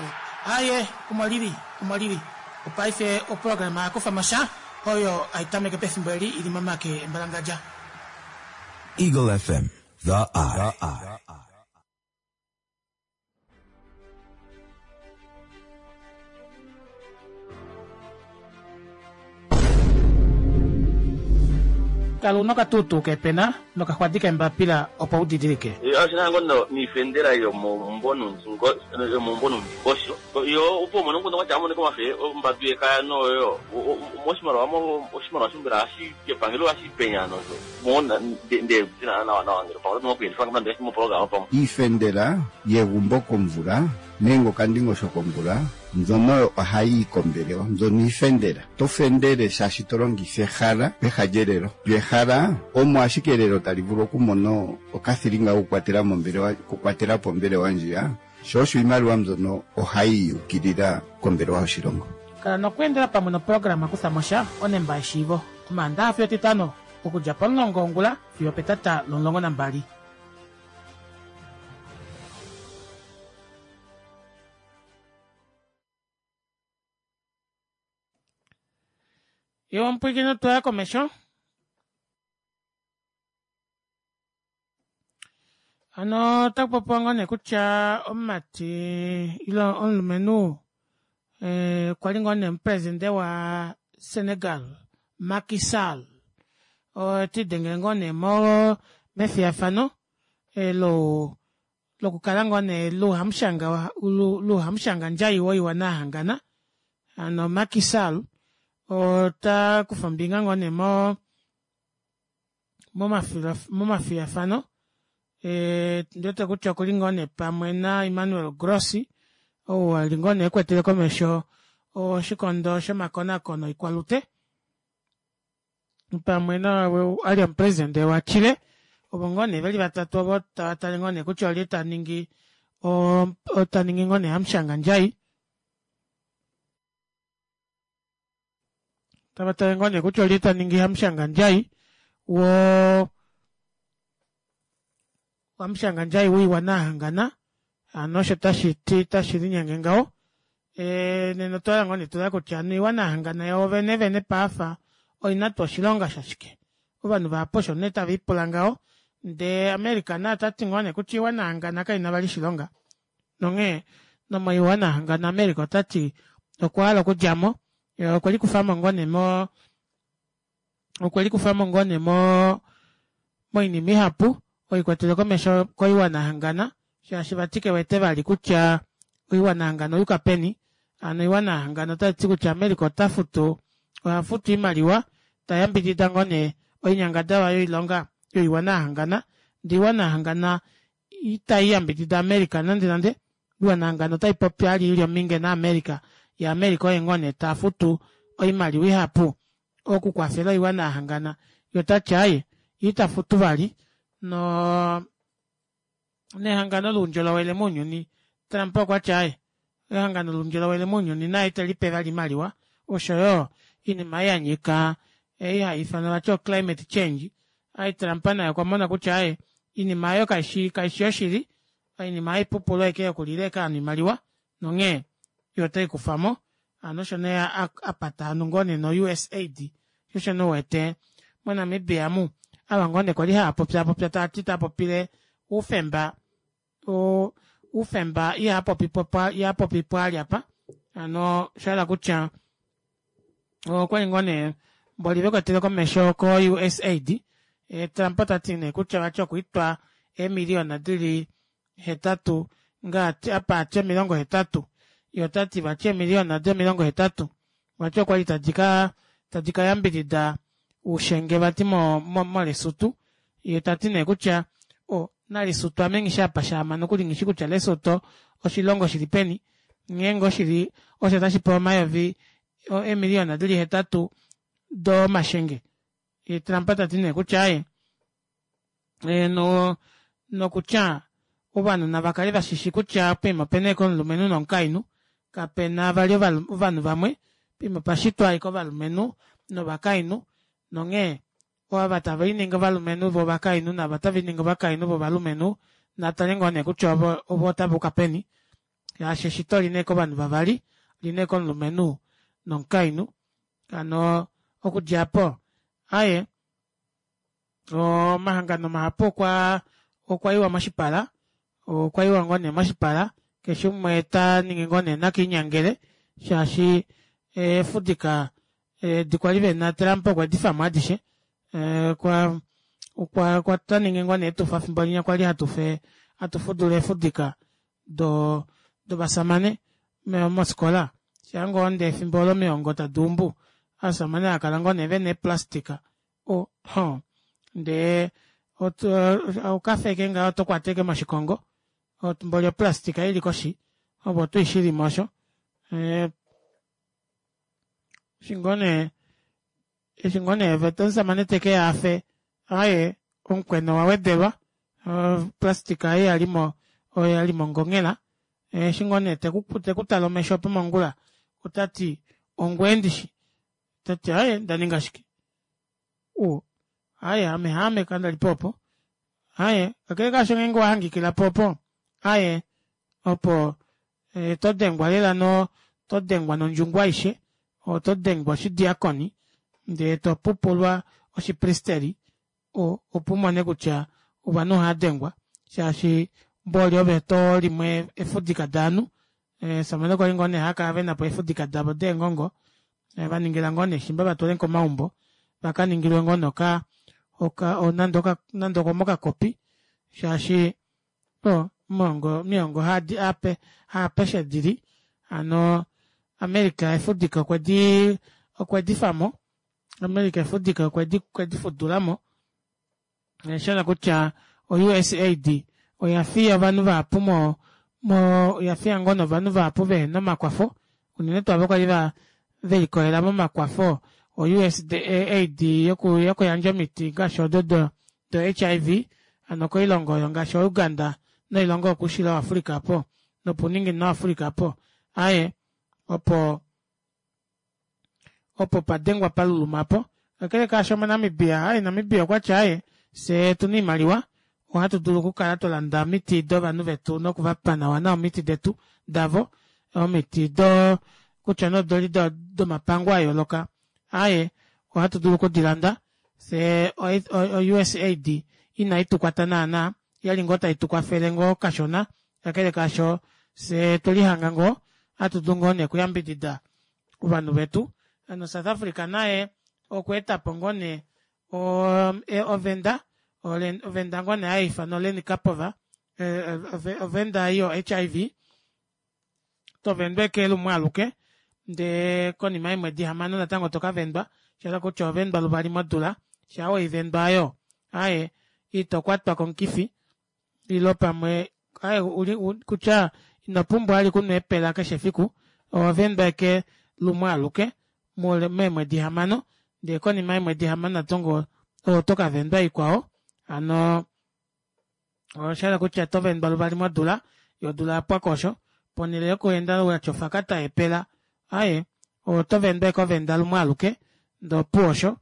Aaye, omo lili, omo lili. Opaife oprograma ya kufa mo sha, oyo hai tameke pefimbo eli i li momake embalangadja. Eagle FM, the eye. Kala una okatuutuu keepena nokaxwadi keembapila opo u didilike. Oshina ngo niifendela yomomumvo nuundingosho Yo opo umone omukundu gwa tya amonike omafe ombambi yekaya noyo moshimaliwa mo oshimaliwa sho mbela ohashi kepangelo ohashi penya nosho mo nde tina nawa nawa ngele pamwe oto okuyelifa nande moprograma pamwe. Iifendela yegumbo komvula nenge okandingosho komvula mbyono oyo ohayi yi kombelewa. Mbyono iifendela. To fendele shaashi to longitha ehala peha lyelelo. Lyo ehala omo ashike elelo tali vulu okumona okathilinga kokukwatela mombelewa, okukwatela po ombelewa ndjiya. Sho osho iimaliwa mbyono ohayi ukilila kombelewa yoshilongo. Kala nokweendela pamwe noprograma Kutha mo sha, onemba yeshiivo, Omaandaha fiyo Etitano, okudja pomulongo wongula fiyo opetata lomulongo nambali. Yo omupwilikini otwa ya komesho. Hano otaku popiwa ngoo nee kutya omumati ile omulumenhu eh, okwa li ngoo nee omupresidente wa Senegal Macky Sall ote idengele ngoo nee mo mefiyafano eh, lo lokukala ngoo nee luhamushanga luhamushanga ndjai woiwana yahangana hano Macky Sall ota kufa ombinga ngoo nee mo momafiyafano eh, ndiwete kutya okuli ngoo nee pamwe naEmmanuel Grossi ou ali ngoo nee ekwetele komesho oshikondo shomakonakono oikwalute pamwe na ali omupresidente waChile ovo ngoo nee veli vatatu ovo tava tale ngoo nee kutya olye ta ningi ta ningi ngoo nee hamushanga ndjai Tava tale ngoo nee kutya olye ta ningi hamushangandjai wo hamushangandjai woiwana yahangana hano osho tashi ti tashi linyenge ngaho e, nena otwa hala ngoo nee tula kutya hano oiwana yahangana yoo vene vene paafa oina tuu oshilonga shashike ovanhu vahapu osho nee tave ipula ngaho ndee America naye ota ti ngoo nee kutya oiwana yahangana kaina vali oshilonga Nonghee nomoiwana hangano America ota ti okwa hala okudja mo, okwe likufa mo ngoo nee mo okwe likufa mo ngoo nee mo moinima ihapu oikwatele komesho koiwana hangana shaashi vati ke wete vali kutya oiwana hangana oyuka peni. Hano oiwana hangana otai ti kutya America ota futu oha futu oimaliwa ta yambidida ngoo nee oinyangadalwa yoilonga yoiwana yahangana ndee oiwana yahangana itai yambidida America nande nande. Iwanahangano otai popi ali ili ominge na America, ye America oye ngoo nee ta futu oimaliwa ihapu oku kwafela oiwana ya hangana, ye otati aaye ye ita futu vali no nehangano loundjolowele mounyuni. Trump okwati aaye ehangano loundjolowele mounyuni naye ite lipe vali oimaliwa oshoyo oinima ei yanyika ei hai ifanwa vati o climate change Ai Trump naye okwa mona kutya aye inima ayo kaishi kaishi yoshili, oinima haipupulu aike yokulila eke ovanhu oimaliwa nonghee yo otai kufa mo. Hano osho nee a pata hano ngoo nee no-USAID sho osho nee u wete moNamibia mu ava ngoo nee kwali hava popyaapopya tava ti tava popile oufemba. oufemba ihaa popi pwaali apa hano oshahala kutya okwali ngoo nee mboli vekwetele komesho ko USAID Trump tati nee kutya vati okwiitwa eemiliyona dili 8 ngaa apa ati 80 ye otati vati eemiliyona di 80 vati okwali tadi ka yambidida uushenge vati moLesotho ye tati nee kutya o naLesotho ame nghi shi apa shaama nokuli nghi shi kutya Lesotho oshilongo shili peni ngeenge oshili osho tashi pewa omayovi eemiliyona dili 8 domashenge ye Trump tati nee kutya aye nokutya ovanhu nava kale vashishi kutya poima opena ashike omulumenhu nomukainhu kapena vali ovanhu vamwe poima opashitwa ashike ovalumenhu novakainhu nonghee ava tave liningi ovalumenhu vo ovakainhu naava tave liningi ovakainhu vo ovalumenhu natale ngoo nee kutya ovo otava uka peni shaashi eshito olina ashike ovanhu vavali olina ashike omulumenhu nomukainhu hano okudja apo aaye Omahangano mahapu okwa okwa iwa moshipala, okwa iwa ngoo nee moshipala, keshe umwe ta ningi ngoo nee nakiinyangele shaashi eefudika edi kwali vena Trump okwe di famo adishe. Okwa okwa okwa twa ningi ngoo nee etufa fimbo linya kwali hatu fe hatu fudula eefudika do dovasamane mofikola shaa ngoo ndee efimbo olo omiongo tadi umbu ovasamane hava kala ngoo nee vena eeplastika o ho ndee okafeke ngaho oto kwata ashike moshikongo mboli oplastika ili koshi opo oto ishilimo osho eshi ngoo nee eshi ngoo nee omusamane teke ya afe aye omukwena owa wedelwa oplastika ei yalimo oyo yali mongongela eshi ngoo nee tekutala omesho opo mongula otati ongwee ndishi tati aye ndaninga shike u aye ame haame kandali po opo aye kakele kaasho ngeenge owa hangikila po opo aye opo e, to dengwa lela no to dengwa nondjungu aishe oto dengwa oshidiakoni ndee to pupulwa oshipristeri opo u mone kutya ovanhu ohava dengwa shaashi mboli ove to limwe efudika daanhu eesamane kwali ngoo nee hava kala vena po eefudika davo deengongo va ningila ngoo nee shimba va twale komaumbo va ka ningilwe ngoo nee oka oka nande oka nande okomokakopi shaashi o omiongo omiongo hadi ape haapeshe dili hano America efudika okwedi okwedi famo America efudika okwedi okwedi fudulamo Osha kutya o-USAID oya fiya ovanhu vahapu mo mo oya fiya ngoo novanhu vahapu vehena omakwafo unene tuu ava kwali va velikolela momakwafo o-USAID yoku yokuyandja omiti ngaashi odo do do HIV hano koilongo oyo ngaashi oUganda noilongo yokuushilo waAfrica opo nopuuninginino waAfrica opo aaye opo opo pa dengwa pa luluma po. Kakele kaasho moNamibia, aye Namibia okwa tya aye fyee otuna oimaliwa ohatu dulu okukala twa landa omiti dovanhu vetu noku va pa nawa nawa omiti detu davo omiti do kutya nee odoli domapango a yooloka aye ohatu dulu okudi landa fyee o-USAID inai tu kwata naana yali ngoo tai tu kwafele ngoo kashona kakele kaasho fyee tweli hanga ngoo ohatu dulu ngoo nee okuyambidida ovanhu vetu hano South Africa naye okwa etapo ngoo nee ovenda ovenda ngoo nee hayiifanwa Lenacapavir ovenda yo HIV tovendwa eke lumwe aluke ndee konima yeemwedi hamano natango tokavendwa shahala kutya ohovendwa luvali modula shaa weivendwa aayo aaye itokwatwa komukifi ilo pamwe aye uli kutya ino pumbwa vali okunwa eepela keshe efiku oho vendwa eke lumwe aluke meemwedi hamano ndee konima yeemwedi hamano natango oto ka vendwa ikwao hano osha hala kutya oto vendwa luvali modula yo odula yapwako osho ponhele yokuenda watya ofakata yeepela aye oto vendwa eke ovenda lumwe aluke ndee opuwo osho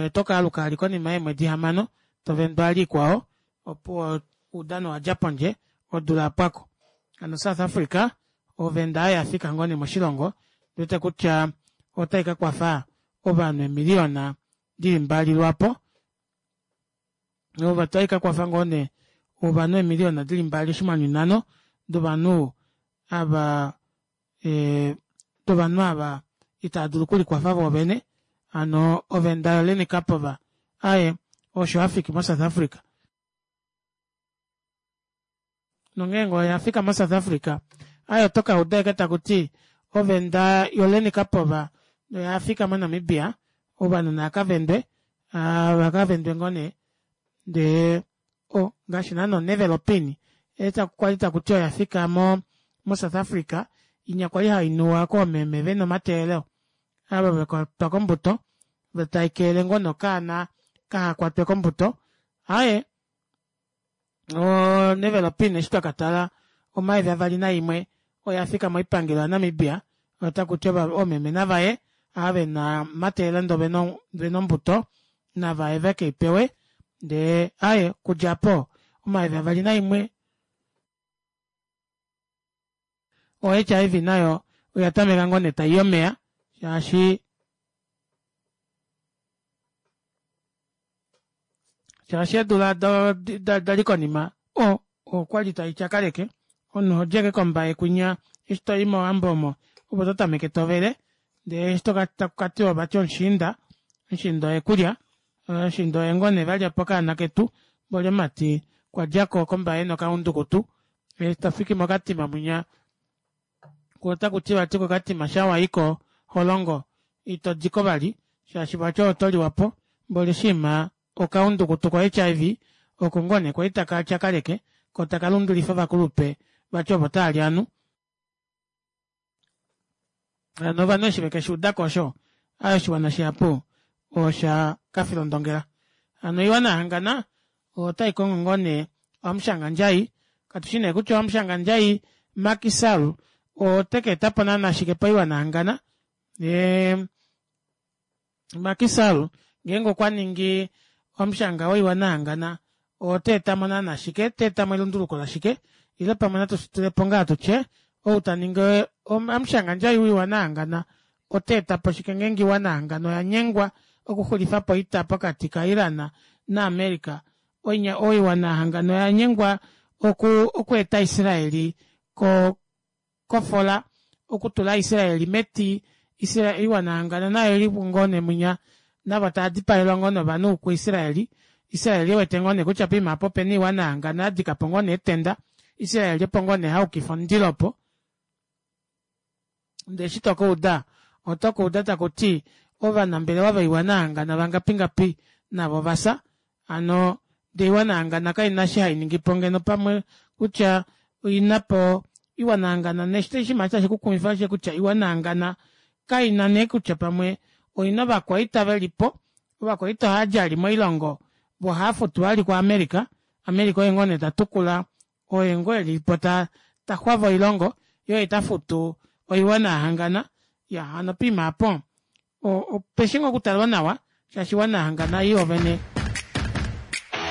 oto ka aluka vali konima yeemwedi hamano to vendwa vali ikwao opuwo oudano owadja pondje odula yapwako. Hano South Africa ovenda oyo yafika ngoo nee moshilongo ndiwete kutya otai ka kwafa ovanhu eemiliyona dili mbali lwaapo otai ka kwafa ngoo nee ovanhu eemiliyona dili mbali oshinghwanyu nhano dovanhu ava dovanhu ava itava dulu okulikwafa voovene hano ovenda yo Lenekapova aaye osho yafiki mo South Africa. Nongeenge oya fika moSouth Africa, aye oto ka uda ashike taku ti ovenda yoLenekapova oya fika moNamibia, ovanhu naa ka vendwe, va ka vendwe ngoo nee. Ndee o ngaashi naana oNevelopin kwali taku ti oya fika mo moSouth Africa, inya kwali hai nuwa koomeme ve na omateelelo, ava va kwatwa kombuto, tai keelele ngoo nee okaana kaha kwatwe kombuto. Aaye onevelopin eshi twa ka tala 2001 oya fika moipangelo yaNamibia otaku ti oomeme navaye ava ve na omateelelo ndee ve na ombuto navaye veke i pewe ndee aye okudja po 2001 o-HIV nayo oya tameka ngoo nee tai omeya shaashi shaashi eedula da li konima o okwali tai tyakaleke omunhu oho djeke kombaye kwinya eshi to i mowambo omo opo to tameke tovele ndee eshi taku ka tiwa vati omushiinda omushiinda oye kulya omushiinda oye ngoo nee valya po okaana ketu mboli omumati okwa djako kombaye nokaundukutu eshi to fiki mokatima mwinya Ko otaku ti vati kokatima sha wa iko holongo ito diko vali shaashi vati oto liwa po mboli shima okaundukutu ko HIV oko ngoo nee kwali taka tyakaleke ko taka lundulifa ovakulupe vati ovo tava li anu. Hano ovanhu eshi veke shi udako osho, aye oshiwana shihapu osha ka filondongela. Hano oiwana ya hangana otai kongo ngoo nee amushangandjai, katu shi nee kutya amushangandjai Macky Sall ote ka eta po naana shike poiwana hangana. Macky Sall ngeenge okwa ningi amushanga woiwana hangana ote eta mo naana shike, te eta mo elunduluko lashike, ile pamwe natu shi tule po ngaa tutye ou ta ningi amushangandjai woiwana hangana ota eta po shike ngeenge oiwana hangana oya nyengwa okuxulifa po oita pokati kaIran naAmerica. Oiwana yahangana oya nyengwa oku okweeta Israeli ko kofola, okutula Israeli meti. Israel, oiwana yahangana nayo oili ngoo nee mwinya, navo tava dipaelwa ngoo novanhu kuIsraeli. Israeli e wete ngoo nee kutya poima apa opena oiwana yahangana ya dika po ngoo nee etenda. Israeli opo ngoo nee haukifa omundilo opo. Ndee eshi to ka uda, oto ka uda taku ti ovanambelewa voiwana yahangana vangapingapi navo ova fya. Hano ndee oiwana yahangana kai na eshi hai ningi po ngeno pamwe kutya oi na po oiwana yahangana oshinima eshi tashi ku kumwifa oshe kutya oiwana yahangana kai na nee kutya pamwe oi na ovakwaita ve li po. Ovakwaita ohava djali moilongo vo ohava futwa vali kuAmerica. America oye ngoo nee ta tukula oye ngoo eli po ta ta xwava oilongo ye oye ta futu oiwana ya hangana ya hano poima apo opeshi ngoo okutalwa nawa shaashi oiwana ya hangana yoo vene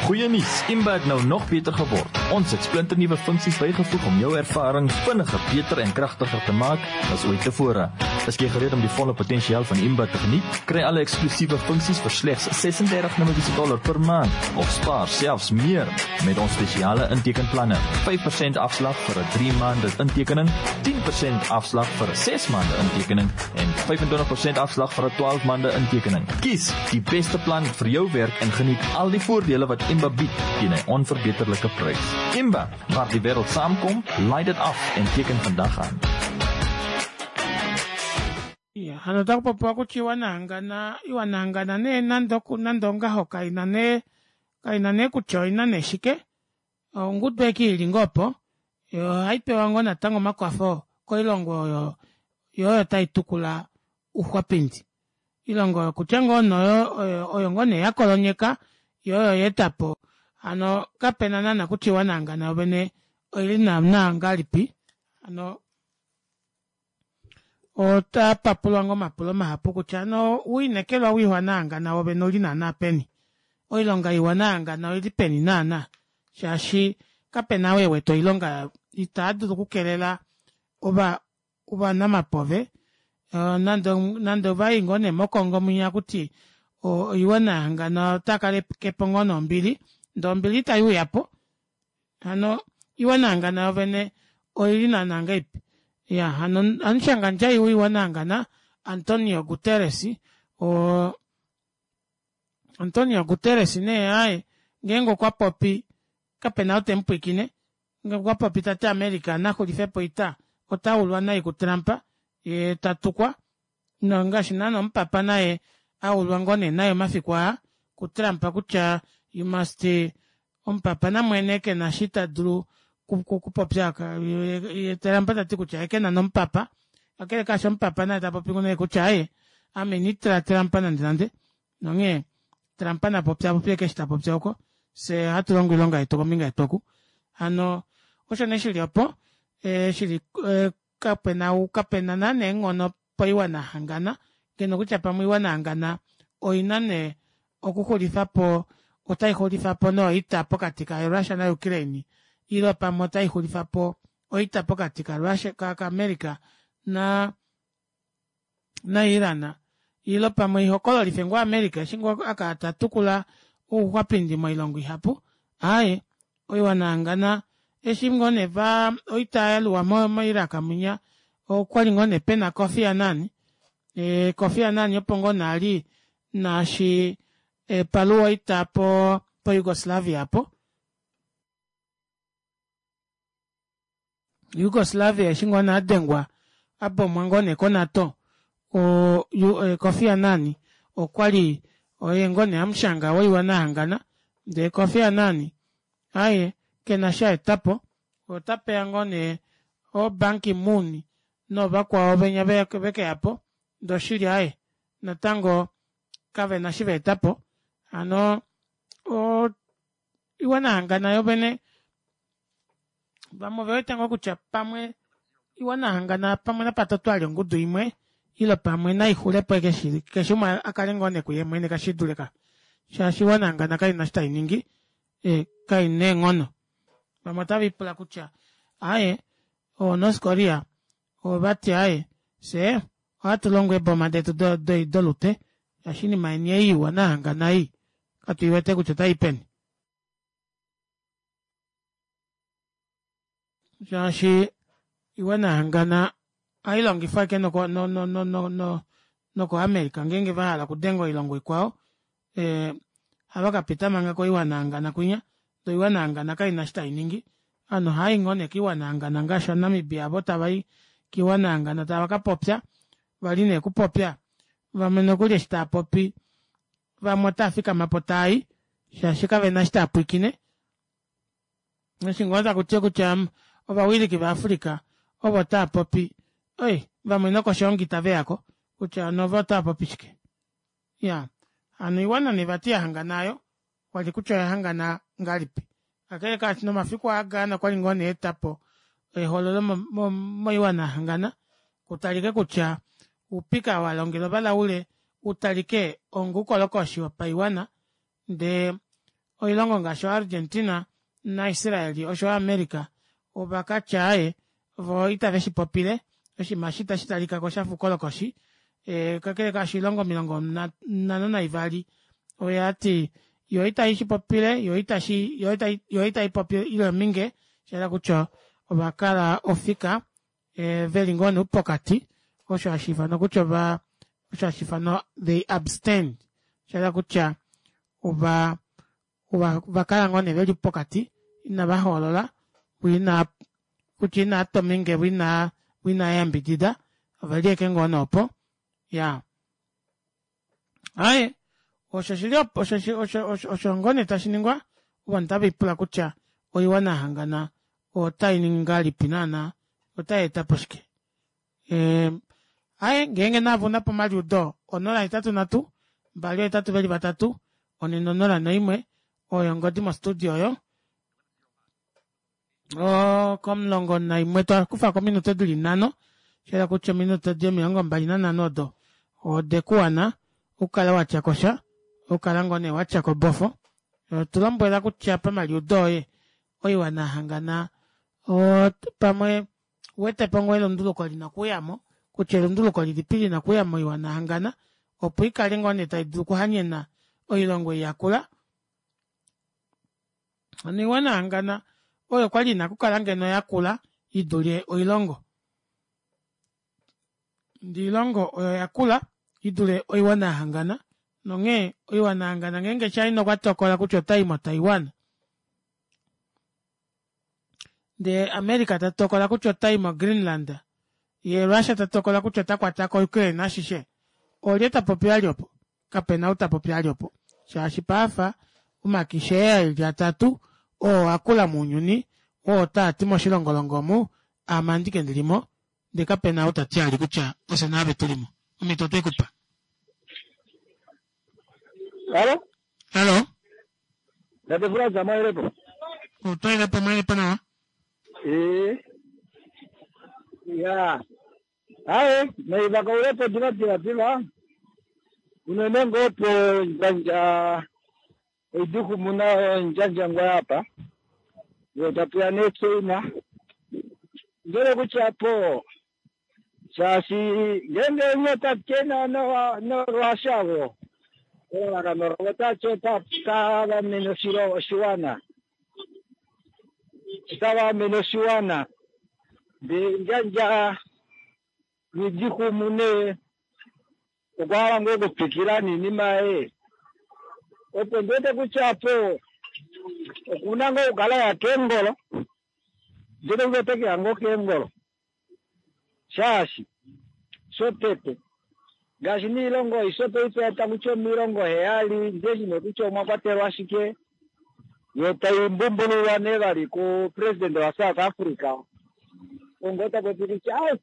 Goeie nuus, Imba het nou nog beter geword. Ons het splinternuwe funksies bygevoeg om jou ervaring vinniger, beter en kragtiger te maak as ooit tevore. Is jy gereed om die volle potensiaal van Imba te geniet? Kry alle eksklusiewe funksies vir slegs 36 Namibiese dollar per maand of spaar selfs meer met ons spesiale intekenplanne. 5% afslag vir 'n 3 maande intekening, 10% afslag vir 'n 6 maande intekening en 25% afslag vir 'n 12 maande intekening. Kies die beste plan vir jou werk en geniet al die voordele wat Imba bied teen 'n onverbeterlike prys. Imba, waar die wêreld saamkom, laai dit af en teken vandag aan. Iya, hano otaku popiwa kutya iwana hangana, iwana hangana nee nande oku nande ongaho kaina nee kaina nee kutya oina nee shike ongudu eke ili ngoo opo ohai pewa ngoo natango omakwafo koilongo oyo yo oyo tai tukula uxwapindi ilongo oyo kutya ngoo noyo oyo, oyo ngoo nee ya kolonyeka yo oyo ya eta po hano kapena naana kutya iwana hangana yovene oili naana ngahelipi hano ota papulwa ngoo omapulo mahapu kutya hano ouinekelwa woiwana yahangana wovene ouli naana peni oilonga yoiwana yahangana oili peni naana shaashi kapena ou ewete oilonga itaa dulu okukelela ova ovanamapove nande nande ovayi ngoo nee mokongo mwinya kuti oiwana yahangana ota kalekepo ngoo nee ombili ndee ombili itai uyapo hano iwana yahangana yovene. Oili naana ngahelipi? Iya, hano hamushangandjai woiwana yahangana Antonio Guterres oo Antonio Guterres nee aaye ngeenge okwa popi kapena ou temupwiikine ngee okwa popi tati America naxulifepo oita ota ulwa nai ku Trump yee tatukwa nongaashi naana omupapa naye aulwa ngoo nee naye omafiku aa ku Trump kutya you must omupapa namwene kena eshi tadulu okupopya ye Trump tati kutya ye kena nomupapa kakele kaasho omupapa naye tapopi nee kutya aaye ame ina itila Trump nande nande nonghee Trump na popye apopye ashike eshi ta popi oko fyee ohatu longo oilonga yetu kombinga yetu oku hano osho nee shili opo shili kapena kapena naana eenghono poiwana yahangana ngeno kutya pamwe oiwana yahangana oina nee okuxulifapo otaixulifapo nee oita pokati ka Russia na Ukraine ile pamwe otaixulifapo oita pokati ka Russia ka America na na Iran ile pamwe ihokololife ngoo America eshi ngoo akala tatukula ouxwapindi moilongo ihapu aaye oiwana yahangana eshi ngoo nee va oita yaluwa mo Iraq mwinya okwali ngoo nee pena Kofi Annan ee Kofi Annan opo ngoo nee ali naashi paluwa oita po po Yugoslavia apo Yugoslavia eshi ngoo nee adengwa abomwa ngoo nee ko NATO o Kofi Annan okwali oye ngoo nee hamushanga woiwana yahangana ndee Kofi Annan aaye kena eshi aetapo otapeya ngoo nee oo Ban Ki Moon noovakwao venya vekeyapo ndee oshili aaye natango kavena eshi vaetapo hano oiwana yahangana yovene vamwe ovewete ngoo kutya pamwe oiwana yahangana pamwe napatotwali ongudu imwe ile pamwe naixulepo ashike keshe umwe akale ngoo nee kuye mwene kashidulika shaashi oiwana yahangana kaina eshi tainingi kaina eenghono vamwe otavipula kutya aaye oo North Korea ovati aaye fyee ohatu longo eeboma detu dolute shaashi oinima yeni ei iwana yahangana ei katuiwete kutya otai peni shaashi iwana yahangana ohai longifwa ashike noko no no no no no noko America ngeenge vahala okudenga oilongo ikwao eh, ohava kapita manga koiwana yahangana kwinya ndee oiwana yahangana kaina eshi tainingi ovanhu ohaayi ngoo nee koiwana yahangana ngaashi ovanamibia avo tavai koiwana yahangana tava kapopya vali nee okupopya vamwe nokuli eshi taapopi vamwe otava fikamapo taayi shaashi kavena eshi taapwiikine eshi ngoo takuti kutya ovawiliki vaAfrica ovo taapopi oi vamwe nokoshongi itaveyako kutya hano ovo otaapopi shike iya hano oiwana nee vati yahangana aayo kwali kutya oyahangana ngahelipi kakele kaashi nomafiku aa Ghana okwali ngoo nee etapo ehololo moiwana yahangana kutalike kutya oupika walongela ovalaule utalike onga oukolokoshi wopaiwana ndee oilongo ngaashi oArgentina naIsrael osho yo America ovakatya aaye voo itave shipopile oshinima eshi itashi talikako shafa oukolokoshi kakele kaasho oilongo 52 oyati yo itai shipopile yo itashi yo itai popi ile ominge shayela kutya ovakala ofika veli ngoo nee pokati osho hashi ifanwa kutya ova osho hashi ifanwa they abstained shayela kutya ova ovakala ngoo nee veli pokati inava hoolola ina kutya inaa tominge vo inaa inaa yambidida oveli ashike ngoo nee opo ya aaye osho shili osho osho osho osho ngoo nee tashi ningwa ovanhu tave lipula kutya oiwana yahangana otai ningi ngahelipi naana otai etapo shike aaye ngeenge naave unapo omaliudo 083 283 401 oyo ongodi mo studio oyo komulongo naimwe twakufako ominute dili nhano shayela kutya ominute di 25 odo odekuwana okukala watyakosha okukala ngoo nee watyako bofo tulombwela kutya pamaliudo oye oiwana yahangana pamwe uwetepo ngoo elunduluko lina okuuyamo kutya elunduluko lilipi lina okuuya moiwana yahangana opo ikale ngoo nee taidulu okuhanyena oilongo ei yakula hano oiwana yahangana oyo kwali ina okukala ngeno yakula I dule oilongo. Ndee oilongo oyo yakula i dule oiwana ya hangana nonghee oiwana ya hangana ngeenge China okwa tokola kutya otai moTaiwan ndee America ta tokola kutya otai moGreenland ye Russia ta tokola kutya ota kwata ko Ukraine ashishe olye ta popi vali opo? Kapena ou ta popi vali opo shaashi paafa omakishe aa eli atatu oo akula mounyuni oo taa ti moshilongolongo omu aame andike ndili mo ndee kapena ou ta ti vali kutya ofye naave tu li mo. Omhito otwe ku pa. Halo? Halo? Tate Frans, mwaelepo? Otwaelepo, mwaelepo nawa. Ee. Ya. Aye, naiva kaulepo diva diva diva. Unene ngoo po ndjandja oidikumuna ndjandja ngoo apa. Yo tapuya nee China. Ndele kutya po shaashi ngeenge onye otatye noRussia vo elalakano lavo otati otava amene oshiwana otava amene oshiwana ndee ndjandja Nghidikumu nee okwa hala ngoo okutwikila noinima yaye opo ndi wete kutya apo okuna ngoo okukala ya keengolo ndi wete kutya ote keya ngoo keengolo shaashi shotete ngaashi niilongo aishe paife taku ti 70 ndiheshi nee kutya omwa kwatelwa shike yo tai mbumbululwa nee vali ku president wa South Africa ongo ta popi kutya ai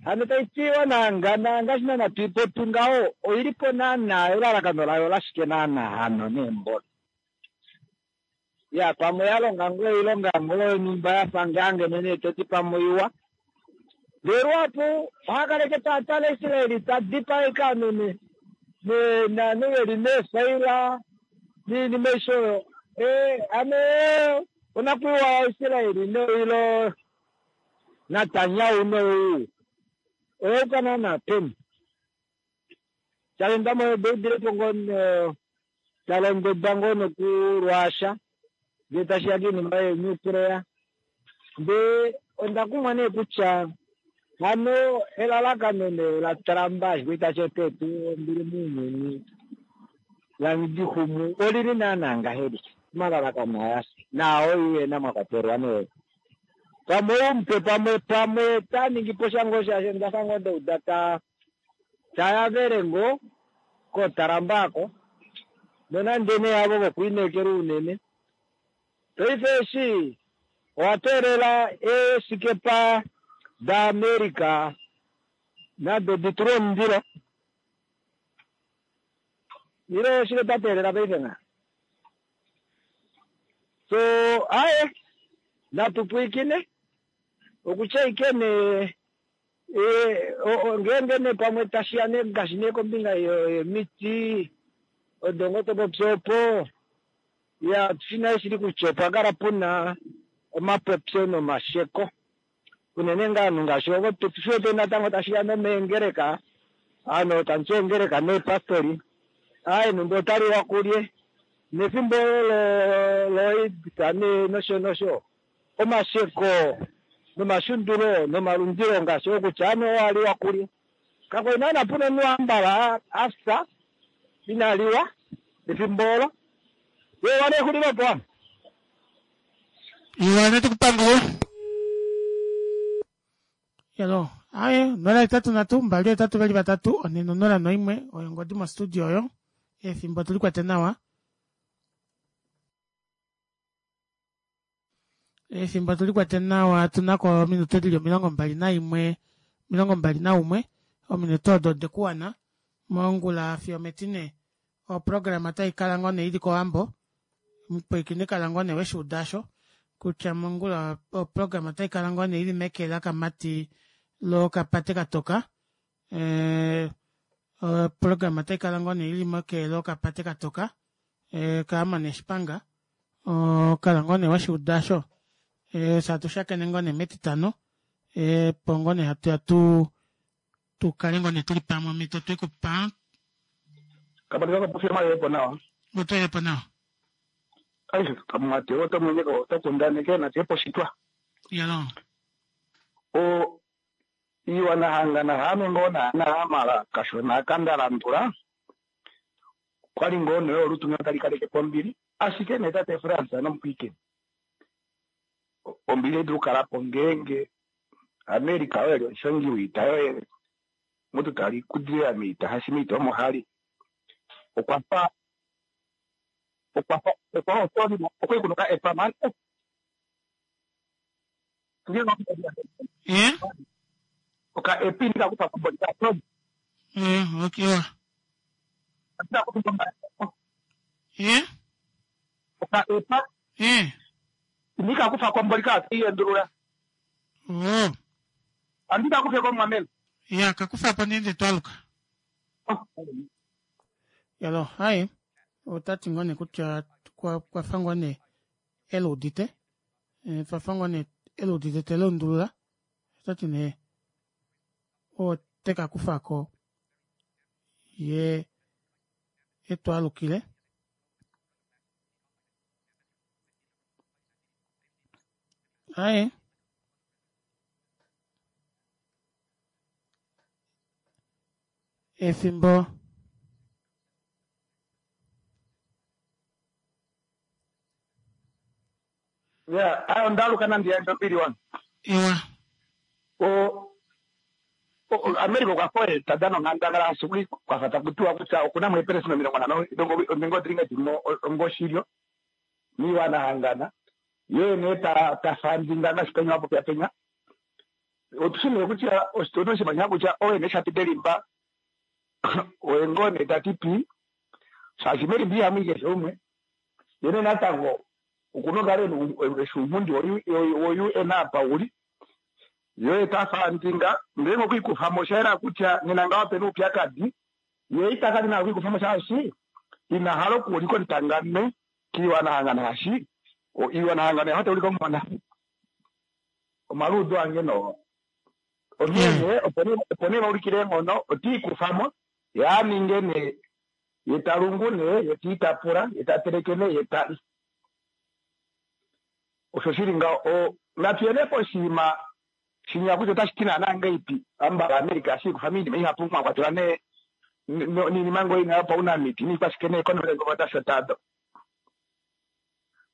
hano tai ti onaangana ngaashi naana tuipopi ngaho oili po naana elalakano layo olashike naana hano neembolo ya pamwe ya longa ngoo oilonga ngoo yonhumba yafa ngaa ngeno nee toti pamwe oiwa ndee luhapu oha kaleke taa tale Israeli ta dipaeka ovanhu novanhu veli meefaila noinima aishe oyo ee ame onakwiiwa yaIsraeli noilo Natanyahu nou oya yuka naana peni? Calenda mo deudilepo ngoo talondodwa ngoo nokulwaasha ngee tashiya koinima yeenuclear ndee onda kumwa nee kutya hano elalakano nee laTrump ashike itashi eta tuu ombili mounyuni laNgidikumu olili naana ngahelipi omalalakano aya naao UN mwa kwatelwa nee pamwe oumupe pamwe pamwe ta ningi po sha ngoo shaashi onda fa ngoo nda uda ta tayavele ngoo koTrump ako nonande nee havo vokulineekelwa unene paife eshi owa teelela eeshikepa daAmerica nado di tulwe omundilo ile oshike twa teelela paife nga so aye natu pwiikine okutya ike nee ngeenge nee pamwe tashiya nee ngaashi nee kombinga yomiti odo ngoo to popi opo ya otushi nale shili kutya opwa kala puna omapopyo nomasheko unene ngaa ovanhu ngaashi ovo tushi wete natango tashiya nomeengeleka ovanhu tamuti eengeleka neepastori aaye numba otaliwa kulye nefimbo olo loAIDS nee nosho nosho omasheko nomashundulo nomalundilo ngaashi oo kutya ame owa liwa kulye. Kakwa li naana puna omunhu ambala a fya ina liwa efimbo olo. Ye wana exulilo opo ame. Iwa natu kupangule. Hello. Aye, 083 2 8 4 0 1 oyo ongodi mo studio oyo. Efimbo tuli kwete nawa. Efimbo tuli kwete nawa tuna ko ominute dili 21 21 ominute odo odekuwana mongula fiyo metine oprograma otai kala ngoo nee ili kOwambo mupwiikini kala ngoo nee weshi uda kutya mongula oprograma otai kala ngoo nee ili meke lakamati lokapate katoka eh, oprograma otai kala ngoo nee ili meke lokapate katoka eh, kaamane shipanga kala ngoo nee weshi uda osho fye hatu shakene ngoo nee metitano opo ngoo nee hatu ya tu tu kale ngoo nee tuli pamwe omhito twe ku pa Kapati kapofi mayepo nawa. Otoyepo nawa. Ai kamwate oto mwenyeko oto kundaneke na tepo shitwa. Yalo. O iiwana hangana haame ngoo naana mala kashona aka nda landula okwali ngoo nee olutu ngeno tali kaleke po ombili ashike nee tate Frans nomupwiikini ombili otai dulu okukala po ngeenge America oye eli omushongi woita yoye mutu tali kudilila moita haashi moita omo hali okwa fa okwa fa okwa okwali kuna oka epa man Eh? Oka epi ndika kufa kombo ndika tom. Eh, okay. Ndika kufa kombo. Eh? Oka epa. Eh. Ndika kufa kombo ndika iyendulula. Oh. Andika kufa kombo mamela. Ya, kakufa po nende twaluka. Yalo, hai. Otati ngoo nee kutya kwa kwa fa ngoo nee eluudite. Eh, twa fa ngoo nee eluudite te lundulula. Otati nee ote ka kufa ko ye etwalukile. Aye. Efimbo Ya, ayo ndaluka nandi yandje ombili wange. Iwa. O America okwa fa oye ta dana onghandangala ashike kwa fa taku tiwa kutya oku na mo eepelesenda 50 nenge odilinga di li mo onga oshilyo miiwana hangana ye nee ta ta fandinga ngaashi penya wa popya penya. Otu shi nee kutya otu shi manya kutya oye nee sha pita elimba oye ngoo nee ta ti pii shaashi melimba ihamu i keshe umwe ye nee natango Oku na okukala e na eshi ounghundi wo-UN apa u li, ye ta fandinga, ngeenge okwe i kufa mo osha yela kutya nena ngaho ope na oupyakadi, ye ita kala ina hala oku i kufa mo shaashi ina hala okuulika omutangame kiiwanahangano shaashi oiwanahangano oya fa tai ulike omuhona. Omaluudo ange noo. Onghee nee opo nee va ulikile eenghono, ote i kufa mo, ye a ninge nee, ye ta lungu nee, ye te itapula, ye ta teleke nee, ye ta li. Osho shi li ngaho. O, natu ye nee poshinima shinya kutya otashi ti naanaa ngahelipi. Ambala America ohashi ikufa moinima ihapu mwa kwatelwa nee noinima ngoo ina yopaunamiti niikwashike neekonomi dasho tado.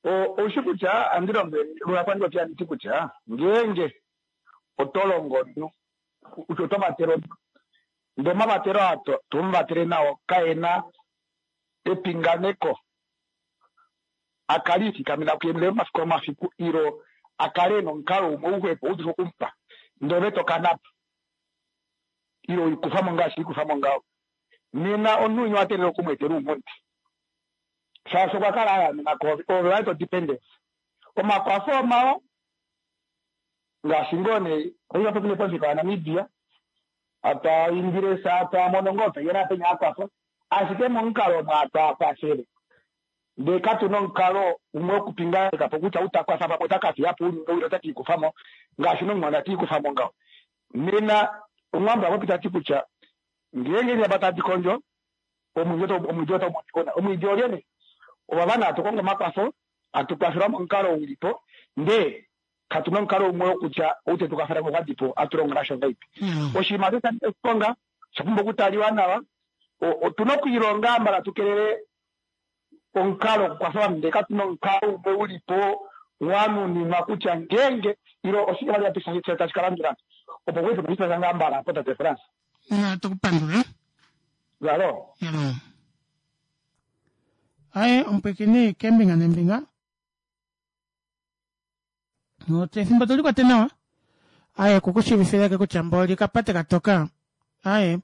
O, ou shi kutya ohandi lombwele luhapu ohandi popi handi ti kutya ngeenge oto longo omunhu, kutya oto vatele omunhu, ndee omavatelo aa to to mu vatele nao kae na epinganeko a kale ifikamena kuye mwene momafiku omafiku ilo a kale e na omukalo umwe uxwepo u dule oku mu pa, ndele ove to kana po ile we i kufa mo ngaashi we i kufa mo ngaho. Nena omunhu winya owa teelela oku mu etela ounghundi shaashi okwa kala a yaamena koove, oove wali to dependence. Omakwafo omawa ngaashi ngoo nee paife opo tuli pomufika waNamibia, atwa indile fye atwa mono ngoo penya naapenya akwafo, ashike momukalo omo atwa kwafele Ndee katu na omukalo umwe wokupinganeka po kutya ou ta kwafa pamwe ota ka fiya po ounyuni ou ile ota ke i kufa mo, ngaashi nomumwana te i kufa mo ngaho. Nena Omuwambo a popi ta ti kutya ngeenge eendjaba tadi kondjo, omwiidi otau monika una. Omwiidi olye nee? Ovava nee hatu kongo omakwafo, hatu kwafelwa momukalo u li po, ndee katu na omukalo umwe wokutya ou te tu kwafele okwa di po, ohatu longo nasho ngahelipi? Oshinima osho osha nyika oshiponga, osha pumbwa okutaliwa nawa. Otu na okwiilonga mbala tu kelele omukalo wokukwafa ovanhu ndee katu na omukalo umwe u li po wa nuninwa kutya ngeenge ile oshike vali tashi ka landula opo kuife po ngaa mbala apo tate Frans. Natu ku pandule. Yalo. Yalo. Aye omupwikini kembinga nembinga. Efimbo to likwate nawa. Aye kukushiivifileke kutya mboli kapate katoka. Aye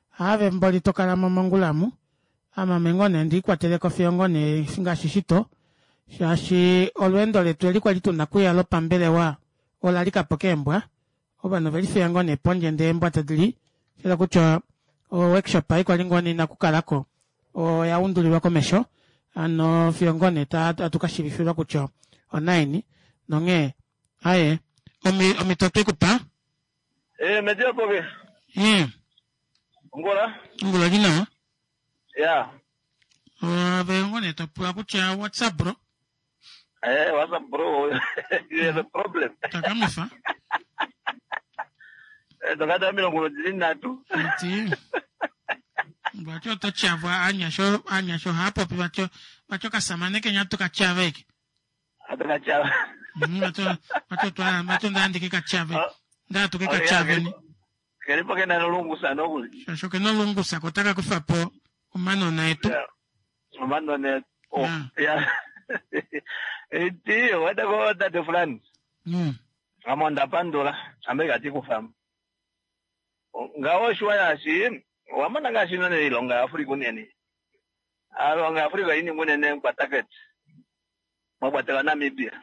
haave mboli to kala mo mongula amu. Ame ame ngoo nee ndi ikwateleko fiyo ngoo nee ngaashi shito. Shaashi olweendo letu eli kwali tuna kuya lopambelewa ola lika po keembwa. Ovanhu ove lifiya ngoo nee pondje ndee eembwa tadi li. Shela kutya o workshop ei kwali ngoo nee ina kukalako oya undulilwa komesho hano fiyo ngoo nee atu ka shiivifilwa kutya onaini nonghee aye omhito otwe ku pa. Eh, Media Poke. Ongula. Ongula li nawa. Ya. Ove ngoo nee to pula kutya what's up bro? Eh, what's up bro? You have a problem. Takamifa. Edoka 33. Iti. Vati oto tyavwa aanyasha aanyasha ohaya popi vati vati okasamane kenya tu ka tyave eke. Atu ka tyava. Vati vati otwa vati onda andike ka tyave. Nda tu ke ka tyaveni. Keli po kena nolungusa nokuli. Shasho kena olungusa ko otaka kufa po omanona etu. Omanona etu. Oh, ya. Iti, wete ko tate Frans. Ame onda pandula, ame ikati kufa mo. Ngaho oshiwa shaashi owa mona ngaashi none iilonga yaAfrika unene. Iilonga yaAfrika oyi ninga unene nkwataketi mwa kwatelwa Namibia.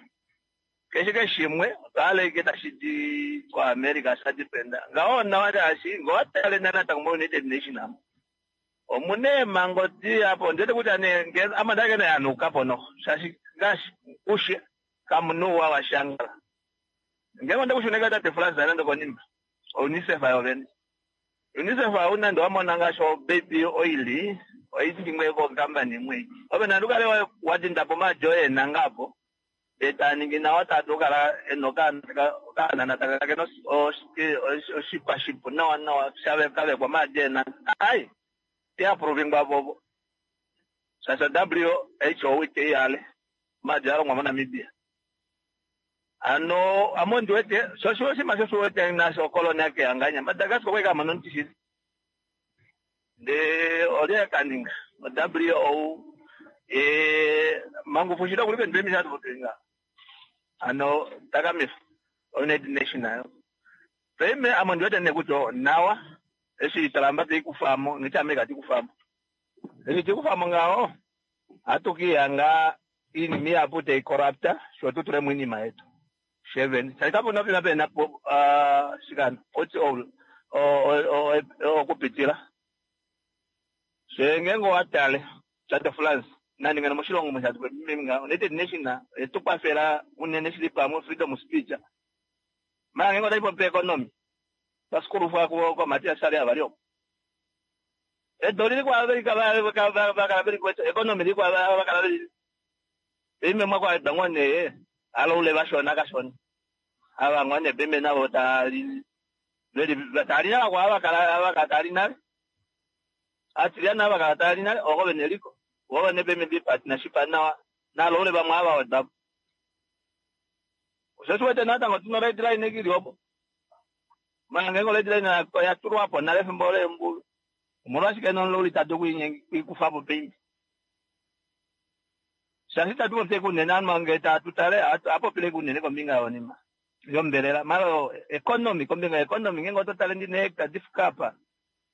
Keshe keshe shimwe otwa hala ike tashi di koAmerica sha dependa. Ngaho onawa shaashi ngee owa tale natango moUnited Nation amu omuna eemhango dihapu ondiwete kutya nee ngee ame onda hala yanuka po noho shaashi ngaashi kushe kamuna ouwa washangala. Ngeenge onde kushuneka tate Frans nande konima oUNICEF yovene. UNICEF ou nande wa mona ngaashi obaby oil oiningwe kokampani imwe. Ove nande ukale wa dinda po omaadi oye eenanga apo ndee taa ningi nawa taa dulu okukala ena okaanana taka kala kena oshipa shipu nawa nawa sha kavekwa omaadi eenanga. Ai te approvingwa vovo shaashi o WHO ite i hale omaadi a longwa moNamibia. Hano ame ondi wete sho osho oshinima sho wete nasho okoloni akehanganya Madagascar okwali kamona omuti shili ndee olye kaninga o WHO mangufu shili okuli pendu emisha atupopilinga hano takamifa United Nation nayo paife ame ondi wete nee kutya onawa eshi Trump teikufamo ngiti America tikufamo eshi tikufamo ngaho ohatu kiihanga iinima ihapu tai corrupta sho tu tulemo iinima yetu shevene shaashi kapuna oshinima pena shikano oti okupitila she ngeenge owa tale tate France nande ngeno moshilongo United Nation etu kwafela unene shili pamwe freedom speech mara ngeenge otashi popi economy twasikulufwa koMatias ali avali opo edu olili kwaAmerica vakala veli kwetu economy ili vakala veli pime mwakwaedwa ngoo nee aloule vashona kashona ava ngoo nee pime navo tali veli tali nale kwa vakala vakala tali nale atiliana vakala tali nale oko vene eliko vo vene pime vi partnership nawa naloule vamwe ava wedapo osho shiwete natango tuna red line ili opo mara ngeenge red line oya tulwapo nale efimbo leembulu omolwashike nomulauli tadu kuikufapo paife shaashi itatu popye kunene ovanhu ngee tatu tale apopile kunene kombinga yonima yombelela mara economy kombinga yeconomy ngeenge oto tale ndina hectare difika apa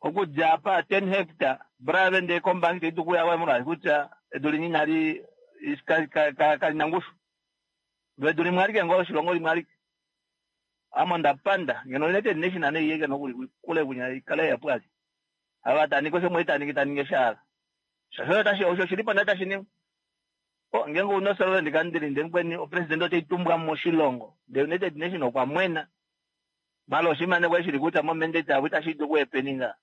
okudja apa 10 hectare brave ndee kombangi taidu kuya molwaashi kutya edu linyi inali kalina ngushu lo edu limwe alike ngoo oshilongo limwe alike ame onda panda ngeno United Nation ane iyeke nokuli kule kunya ikale yapwali ava taningi osho mwei taningi taningi eshaala shasho tashi osho shilipo nale tashi ningwa o ngeenge una osolvent country ndee mukweni opresident oteitumbwa moshilongo the United Nation okwa mwena mala oshinima nee kwali shili kutya mo mandate yavo itashi dulu okuhepeninga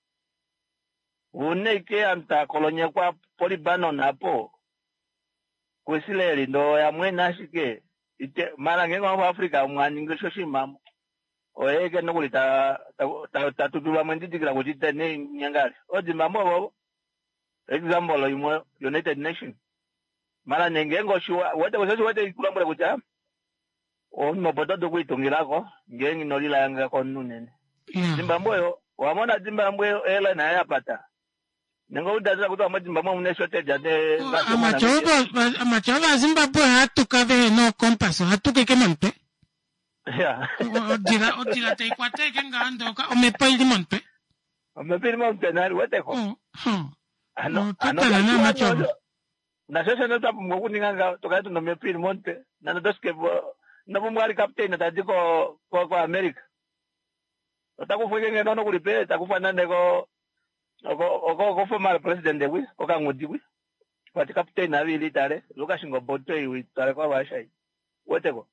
una ike ovanhu tava kolonyekwa po Libanon apo kuIsrael ndee oya mwena ashike mara ngeenge owa Africa mwaningi osho oshinima oyeke nokuli tatutulwa mwendidikila kuti tene nyangale oZimbabwe vovo example imwe United Nation mara nee ngeenge oshiwa wete osho wete kulombwele kutya omunhu opo to dulu okwiitungilako ngeenge ino lilayanga komunhu unene. Zimbabwe oyo owamona Zimbabwe airline yaye yapata nenge oudadila kutya moZimbabwe omuna shortage ate Amatya ovazimbabwe ohatuka vehe nookompas ohatuka ike momutwe. Odila odila taikwata ike ngaho ndoka omhepo ili momutwe. Omhepo ili momutwe nale weteko. Ano ano Totala naamatya ovo. Nasho shene twa pumbwa okuninga ngaho tukale tuna omhepo ili momutwe nande otosikepo ino pumbwa ali captain tadi ko ko America otakufwa ike ngeno nokuli pe takufwa nande ko ko former president kwi okangudi kwi kwati captain avili tale Lucas Ngoboto iwi tale kwa Russia weteko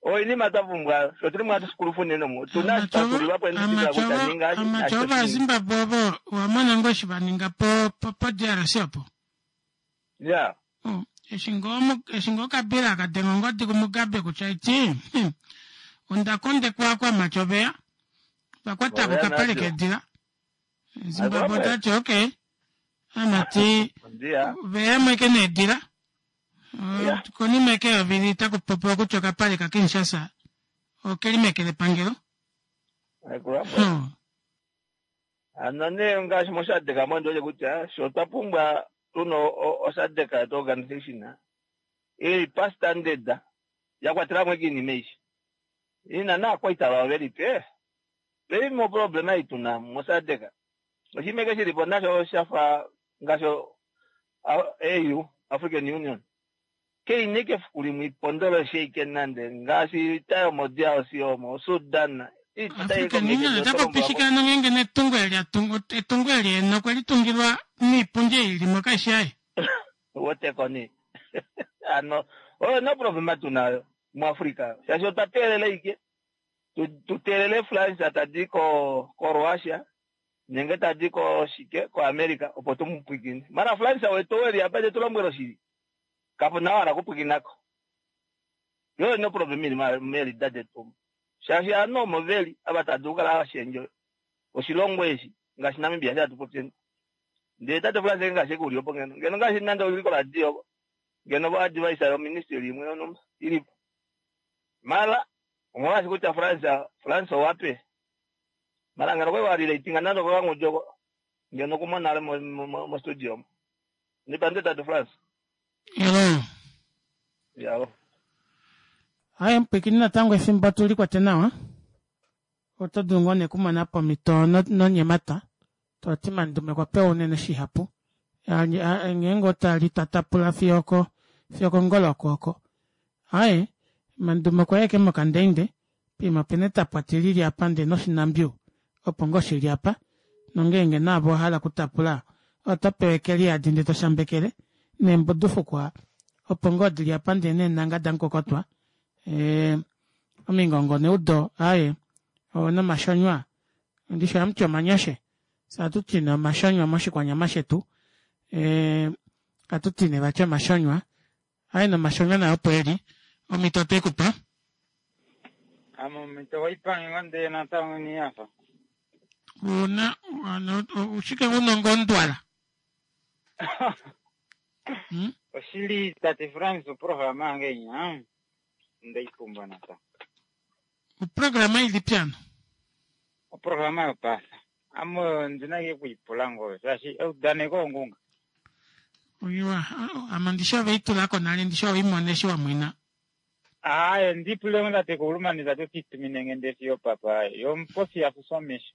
oinima twa pumbwa sho tuli mwatu sikulufu nene omu tuna twatulilwapo endidikila kutya ninga Amatya ovazimbabwe ovo owamona ngoo eshi vaninga po po DRC opo. Ya. Eshi ngoo Kabila akadenga ongodi kuMugabe kutya iti onda kondekwa kwamatya oveya. Twa kwata ko okapale keedila. Zimbabwe ota ti okay. Amati veyamwe ke needila. Konima eke yovili taku popiwa kutya okapale ka Kinshasa okeli meke lepangelo. Ano nee ngaashi moSADC mo ndi wete kutya sho otwa pumbwa tuna oSADC yetu organization ili pa standard ya kwatela mo iinima aishe ina naakwaita vawo veli pe veli mo problema ei tuna moSADC oshinima eke shili po nasho shafa ngaashi AU African Union keina ike efiku limwe ipondole sheike nande ngaashi ita yomo DRC omo Sudan African Union ota popi shike ano ngeenge netungo eli atungu etungo eli ena okwe li tungilwa niipundi ei ili mo kaishi yaye. Woteko nee ano oyo no problema tunayo muAfrica shaashi otwa teelela ike tu teelele France tadi ko ko Russia nenge tadi ko shike ko America opo tu mu pwikine mara France wetu weli apa te tu lombwele oshili kapu na wala kupwikinako yo no problema ili meelida detu shaashi ovanhu omo veli ava tava dulu okukala hava shendje oshilongo eshi ngaashi Namibia eshi hatu popyeni ndele tate France ngaashi eke uli opo ngeno ngeno ngaashi nande uli koradio ngeno vo advice yoministry imwe yonhumba ilipo mara omolwaashi kutya France France owape mara ngeno okwali wa relatinga nande okokangudi oko ngeno okumona nale mostudio mo nipande tate France Hello. Yalo. Aye mupwikini natango efimbo tu likwate nawa. Oto dulu ngoo nee kumona pomhito nonyemata. To ti Mandume okwa pewa unene shihapu. Ngeenge ota li ta tapula fiyo oko fiyo okongolo oko oko. Aye Mandume okwa ya eke mokandeinde. Poima opena etapwati lili apa ndee noshinambiu opo ngoo shili apa. Nongeenge naave owa hala okutapula oto pewa eke liyadi ndee to shambekele. Neembudufukwa opo ngoo dili apa ndee neenanga damukokotwa. Omingongo neudo aaye nomashonywa ndishi ohamuti omanyashe fye ohatu ti nee omashonywa moshikwanyama shetu ohatu ti nee vati omashonywa aaye nomashonywa nayo opo eli omhito otwe ku pa. Ame omhito waipange ngo ndee natango ini hafa. Una oshike una ngondwala. Hmm? Oshili tate Frans oprograma yange inya ndaipumbwa natango. Oprograma ilipi ano? Oprograma yopaasa. Ame ondina ike okuipula ngoo shaashi eudaneko ongunga. Oiwa, ame ndishi ove i tula ko nale ndishi owe i mona eshi wa mwena. Aaye ndipule ngo tate Koulumani tate otitumine nge nde fiyo papa yomupofi ya fuswa omesho.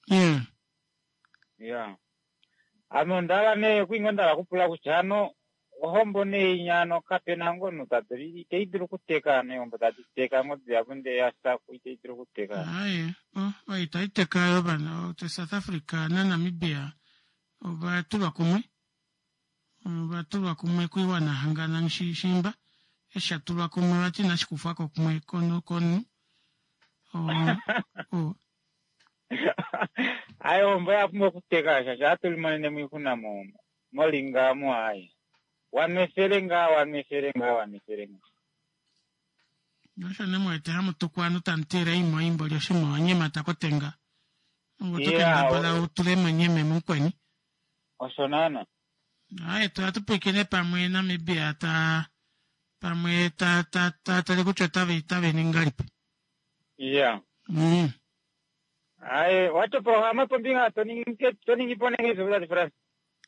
Yeah. Yeah. Ame onda hala nee okuinga onda hala okupula kutya hano ohombo nee inya hano kapena ngo omunhu ta dulu itei dulu okuteka hano eehombo tadi teka ngo dihapu ndee ya saku itei dulu okuteka. Aaye, oh, oyo itai teka yo vana South Africa naNamibia ova tulwa kumwe. Ova tulwa kumwe koiwana hangana shimba eshi sha tulwa kumwe vati inashi kufwa ko kumwe komunhu. Oh, oh. Aye ohombo ya pumbwa okuteka shaashi ohatu limonene mo oixuna mo molinga omu aye. Wanwefele ngaa wanwefele ngaa wanwefele ngaa. Osho ne mwete hamu tuku ovanhu tamu tile oimo imboli oshima wa nyemata kotenga. Ongo to kendabala u tule mo nyeme mukweni. Osho naana. Aye to ohatu pwiikine pamwe Namibia ta pamwe ta ta ta tale kutya otave otave ningi ngahelipi. Iya. Aye, wati oprograma pombinga to ningi to ningi po nenge tate Frans.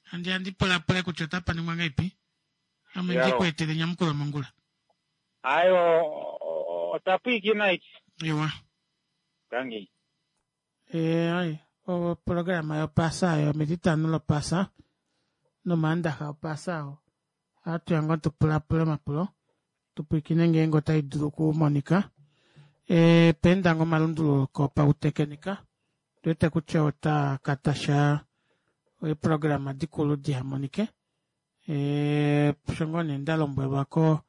Handi handi pulapule kutya otapa ningwa ngahelipi. Ame ndi ku etele enyamukulo mongula. Aye, otwa pwiikina iki. Iwa. Tangi. Eh, ai, oprograma yopasa oyo metitano lopasa nomaandaxa opasa oo. Ohatu ya ngoo tu pulapule omapulo tu pwiikine ngeenge otai dulu okumonika. E, peenda ngoo omalunduluko pautekenika tu wete kutya ota ka tasha eeprograma dikulu diha monike. E, osho ngoo nee nda lombwelwa ko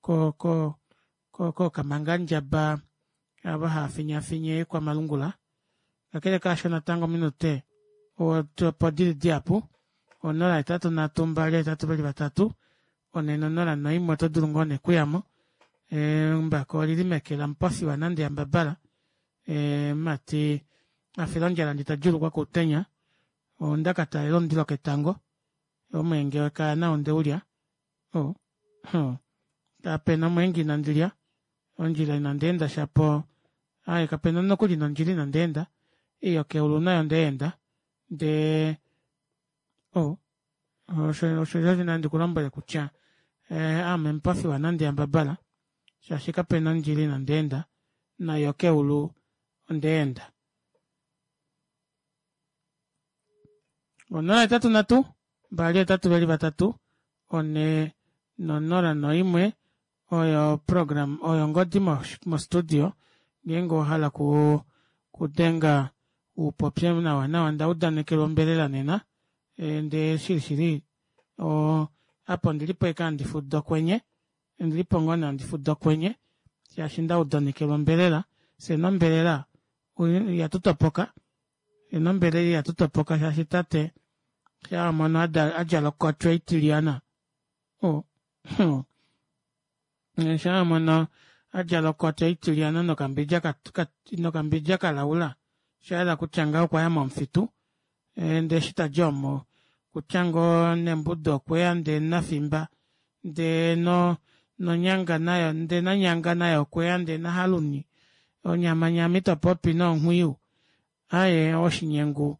ko ko ko kookamangandjaba ava hava finyafinye kwamalungula. Kakele kaasho natango ominute opo dili dihapu, 0 8 3 2 8 2 3 4 0 1 oto dulu ngoo nee kuyamo. Embako olili meke lamupofiwa nande yambabala. Mati. Afila ondjala ndi ta djuulukwa koutenya. Onda ka talela omundilo ketango. Omweenge wekaya nao onde u lya. Oh, oh. Kapena omweenge inandi lya. Ondjila inandi enda shapo. Aaye kapena nokuli nondjila inandi enda. Ei yokeulu nayo onda enda. Ndee oh, osho osho osho nandi ku lombwele kutya eh, ame mupofi wanandi yambabala shaashi kapena ondjila inandi enda nayo keulu onda enda. 083 2 8 4 no0 noimwe oyo program oyo ongodi mostudio ngeenge owa hala ku kudenga u popye nawa nawa nda udanekelwa ombelela nena e, ndee shili shili o apa ondilipo eke handi fuda okwenye ondilipo ngoo nee handi fuda okwenye shaashi nda udanekelwa ombelela fye nombelela ihatu topoka fye nombelela ihatu topoka shaashi tate sha mono a djala okotwe itilyana o Sha mono a djala okota itilyana nokambidja nokambidja kalaula, sha yela kutya ngaho okwa ya momufitu. Ndee eshi ta di omo, kutya ngoo nembudu okwe ya ndee nafimba, ndee no nonyanga nayo ndee nanyanga naye okwe ya ndee nahaluni, onyamanyama ito popi noonghwiyu. Aaye oshinyengu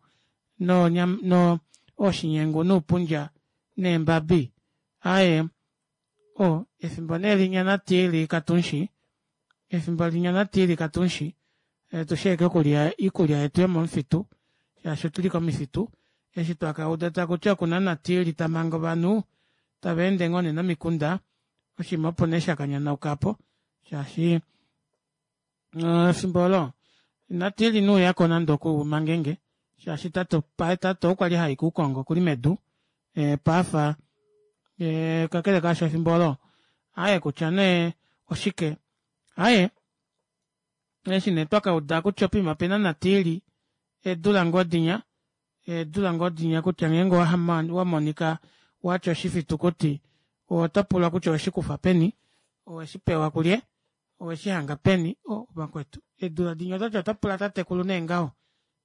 no no oshinyengu nuupundja neembabi. Aaye O, efimbo nee linya natiili katunshi, efimbo linya natiili katunshi, eh, tu sheeke okulya iikulya yetu yomomufitu, shaashi otuli komifitu, eshi twa ka uda taku ti oku na natiili ta manga ovanhu, tava ende ngoo nee nomikunda, oshinima opo nee sha ka nyanauka po, shaashi eh, efimbo olo natiili ine uya ko nande oku mangenge, shaashi tate, tate okwa li ha i kuukongo okuli medu, eh, paafa eh, kakele kaasho efimbo olo aye kutya nee oshike aye eshi nee twa ka uda kutya opima pena natiili eedula ngoo dinya eedula ngoo dinya kutya ngeenge wa monika watya oshifitukuti oto pulwa kutya oweshi kufa peni oweshi pewa kulye oweshi hanga peni o vakwetu eedula dinya otati ota pula tatekulu nee ngaho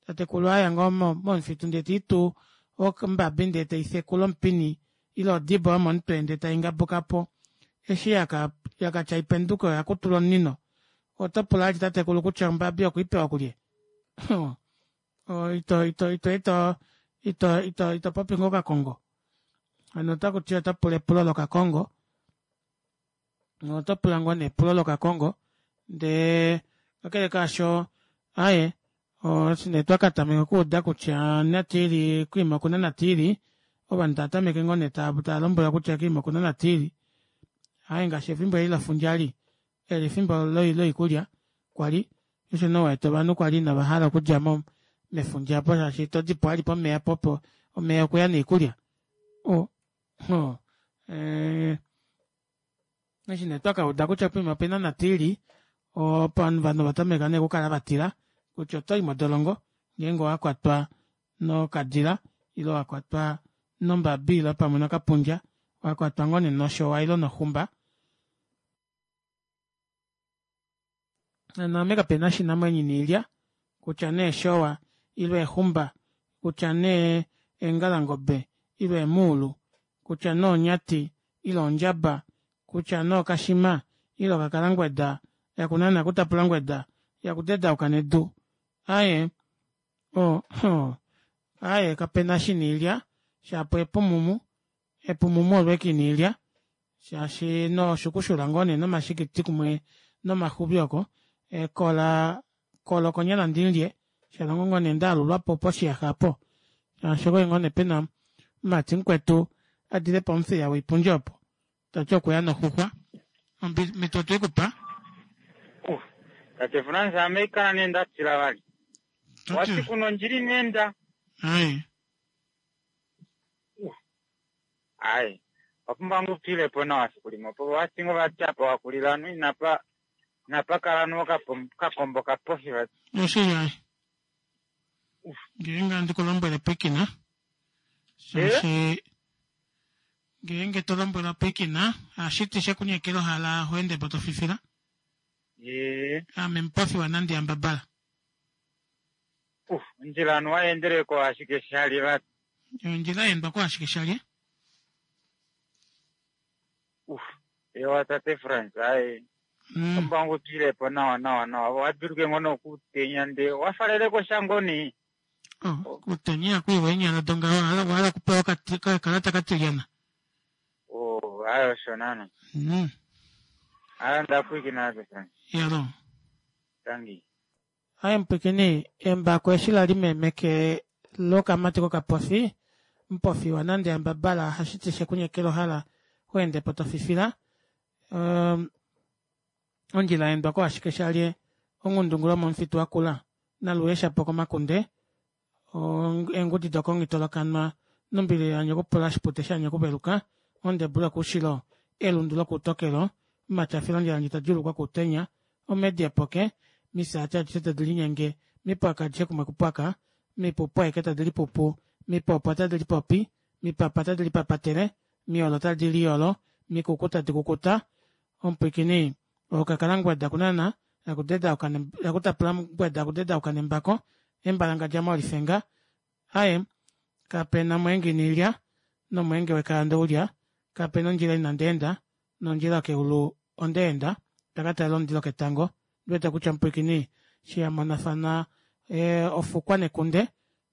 Tatekulu aya ngoo momufitu ndee te i tu ombabi ndee tei fekula omupini ile odibo yomomutwe ndee tai ngabuka po. Eshi yaka tya ipenduke oya kutula omunino. Oto pula vali tatekulu kutya ombabi okwe i pewa kulye? Ito ito ito ito ito ito ito popi ngoo okakongo? Hano otaku ti ota pula epulo lokakongo. Oto pula ngoo nee epulo lokakongo ndee kakele kaasho aye eshi nee twa ka tameka okuuda kutya natiili kwiima okuna natiili ovanhu tava tameke ngoo nee tava lombwelwa kutya kwiima okuna natiili aye ngaashi efimbo eli lefundja li eli efimbo loikulya kwali osho nee wete ovanhu kwali inava hala okudja mo mefundja apo shaashi to di po ali pomeya popo omeya okuya noikulya o o eh, Eshi nee twa ka uda kutya poima opena natiili, opo ovanhu ova tameka nee okukala va tila kutya oto i modolongo ngeenge owa kwatwa nokadila ile wa kwatwa nombabi ile pamwe nokapundja, wa kwatwa ngoo nee noshowa ile noxumba. Naame kape na oshinamwenyo ina ilya, kutya nee eshowa ile exumba, kutya nee eengalangobe ile eemuulu, kutya nee onyati ile ondjaba, kutya nee okashima ile okakalangweda, yakunana kutapulangweda, yakudedauka nedu. Aaye, o, aaye kape na eshi ina ilya, shapo epumumu, epumumu olo ashike ina ilya. Shaashi noshukushula ngoo nee nomashikiti kumwe nomaxubi oko, ekola kola okonyala ndi lye, shalongo ngoo nee nda alulwa po poshiyaxa opo. Shaashi okwali ngoo nee pena omumati mukwetu a dile pomuthiya woipundja opo, ta ti okweya noxuxwa. Omhito otwe ku pa. Tate Frans, ame ikala nee nda tila vali. Wati kuna ondjila ina enda. Ai. Ai, owa pumbwa ngoo utwile po nawa fiku limwe opo wati ngoo vati apa wa kulila ovanhu inapa inapa kala no okakombo kapofi vati. Oshili ai. Ngeenge andi ku lombwele pwikina shaashi ngeenge to lombwelwa pwikina ohashi ti she ku nyekela ohala ho ende po to fifila. Ame mupofi wanandi yambabala. Ondjila anuwa yeendeleko ashike shali vati. Ondjila yeendwa ko ashike shali. Ewa tate Frans, aye. Ombangu tuilepo nawa nawa nawa. Waduluke ngono kutenya nde wafaleleko shangoni. Oh, kutenya ihaku iwa eenyala dongaho wahala okupewa okakalata katilyana. Oh, aye osho naana. Aye ndapwiikina tate Frans. Yalo. Tangi. Aye mupwikini, embako eshi la li meke lokamati kokapofi, mupofi wa nande yambabala ohashi ti shekunyekela ohala ho ende po to fifila. Um, ondjila ya endwa ko ashike shalye ongundungula omomufitu wa kula naluye shapo komakunde eengudi dokongitolokanwa nombili ya nyokupula shipute sha nyokuveluka ondebula koushilo elundu lokuutokelo omatyafilo ondjila ndji tadjuulukwa kuutenya omedi epoke misaati adishe tadi linyenge mipwaka adishe kumwe kupwaka mipupu aike tadi lipupu mipopo tadi lipopi mipapa tadi lipapatele miolo tadi liyolo mikuku tadi kukuta omupwikini okakala ngweda kunana yakutapula ngweda akudedauka nembako embalangadja molifenga aye kapena omwenge inilya nomwenge wekaya ndeulya kapena ondjila inandi enda nondjila yokeulu ondeenda ndakatalela omundilo ketango ndiwete kutya omupwikini eshi yamonafana ofukwa nekunde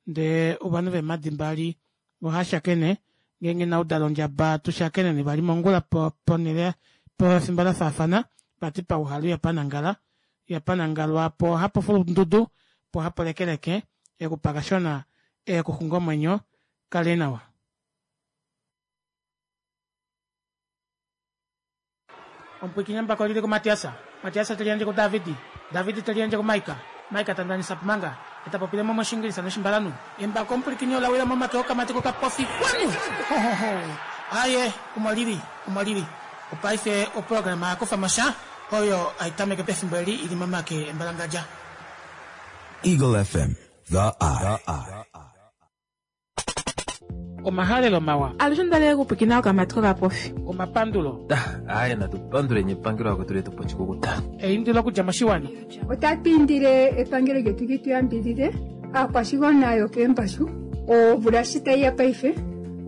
ndee ovanhu veemadi mbali ohashakene ngeenge inaudala ondjaba tushakeneni vali mongula ponhele pefimbo lafaafana vati pauhalu ihapanangala ihapanangalwa po ohapo fulundudu po ohapo lekeleke ekupakashona ekuxunga omwenyo kale nawa. Omupwiikini embako lili kuMatias, Matias te liyandje kuDavid, David te liyandje kuMaika, Maika ta ndanisa Pumanga, e ta popile mo mOshiingilisa nOshimbalanhu. Embako omupwilikini ola wila momake okamati kokapofi kwanu! Hohoho! Aaye, omo lili, omo lili. Opaife oprograma ya kufa mo sha, oyo hai tameke pefimbo eli i li momake embalangadja. Eagle FM, the eye. Omahalelo mawa. Alushe onda li okupwikina okamati kokapofi. Omapandulo. Aaye natu panduleni epangelo akwetu letu po oshikukuta. Eindilo okudja moshiwana. Otatu indile epangelo lyetu li tu yambidhidhe aakwashigwana yokeembashu. Omvula shi tayi ya paife,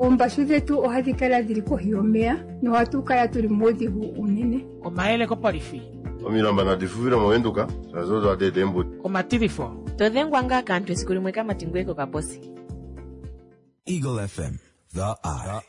oombashu dhetu ohadhi kala dhili kohi yomeya nohatu kala tuli muudhigu uunene. Omayele kopolifi. Omilamba nadi fufile mOvenduka, shaashi odo hadi eta eembudi. Omatilifo. To dhengwa ngaa kaantu esiku limwe kamati ngoye kokaposi. Eagle FM, the eye.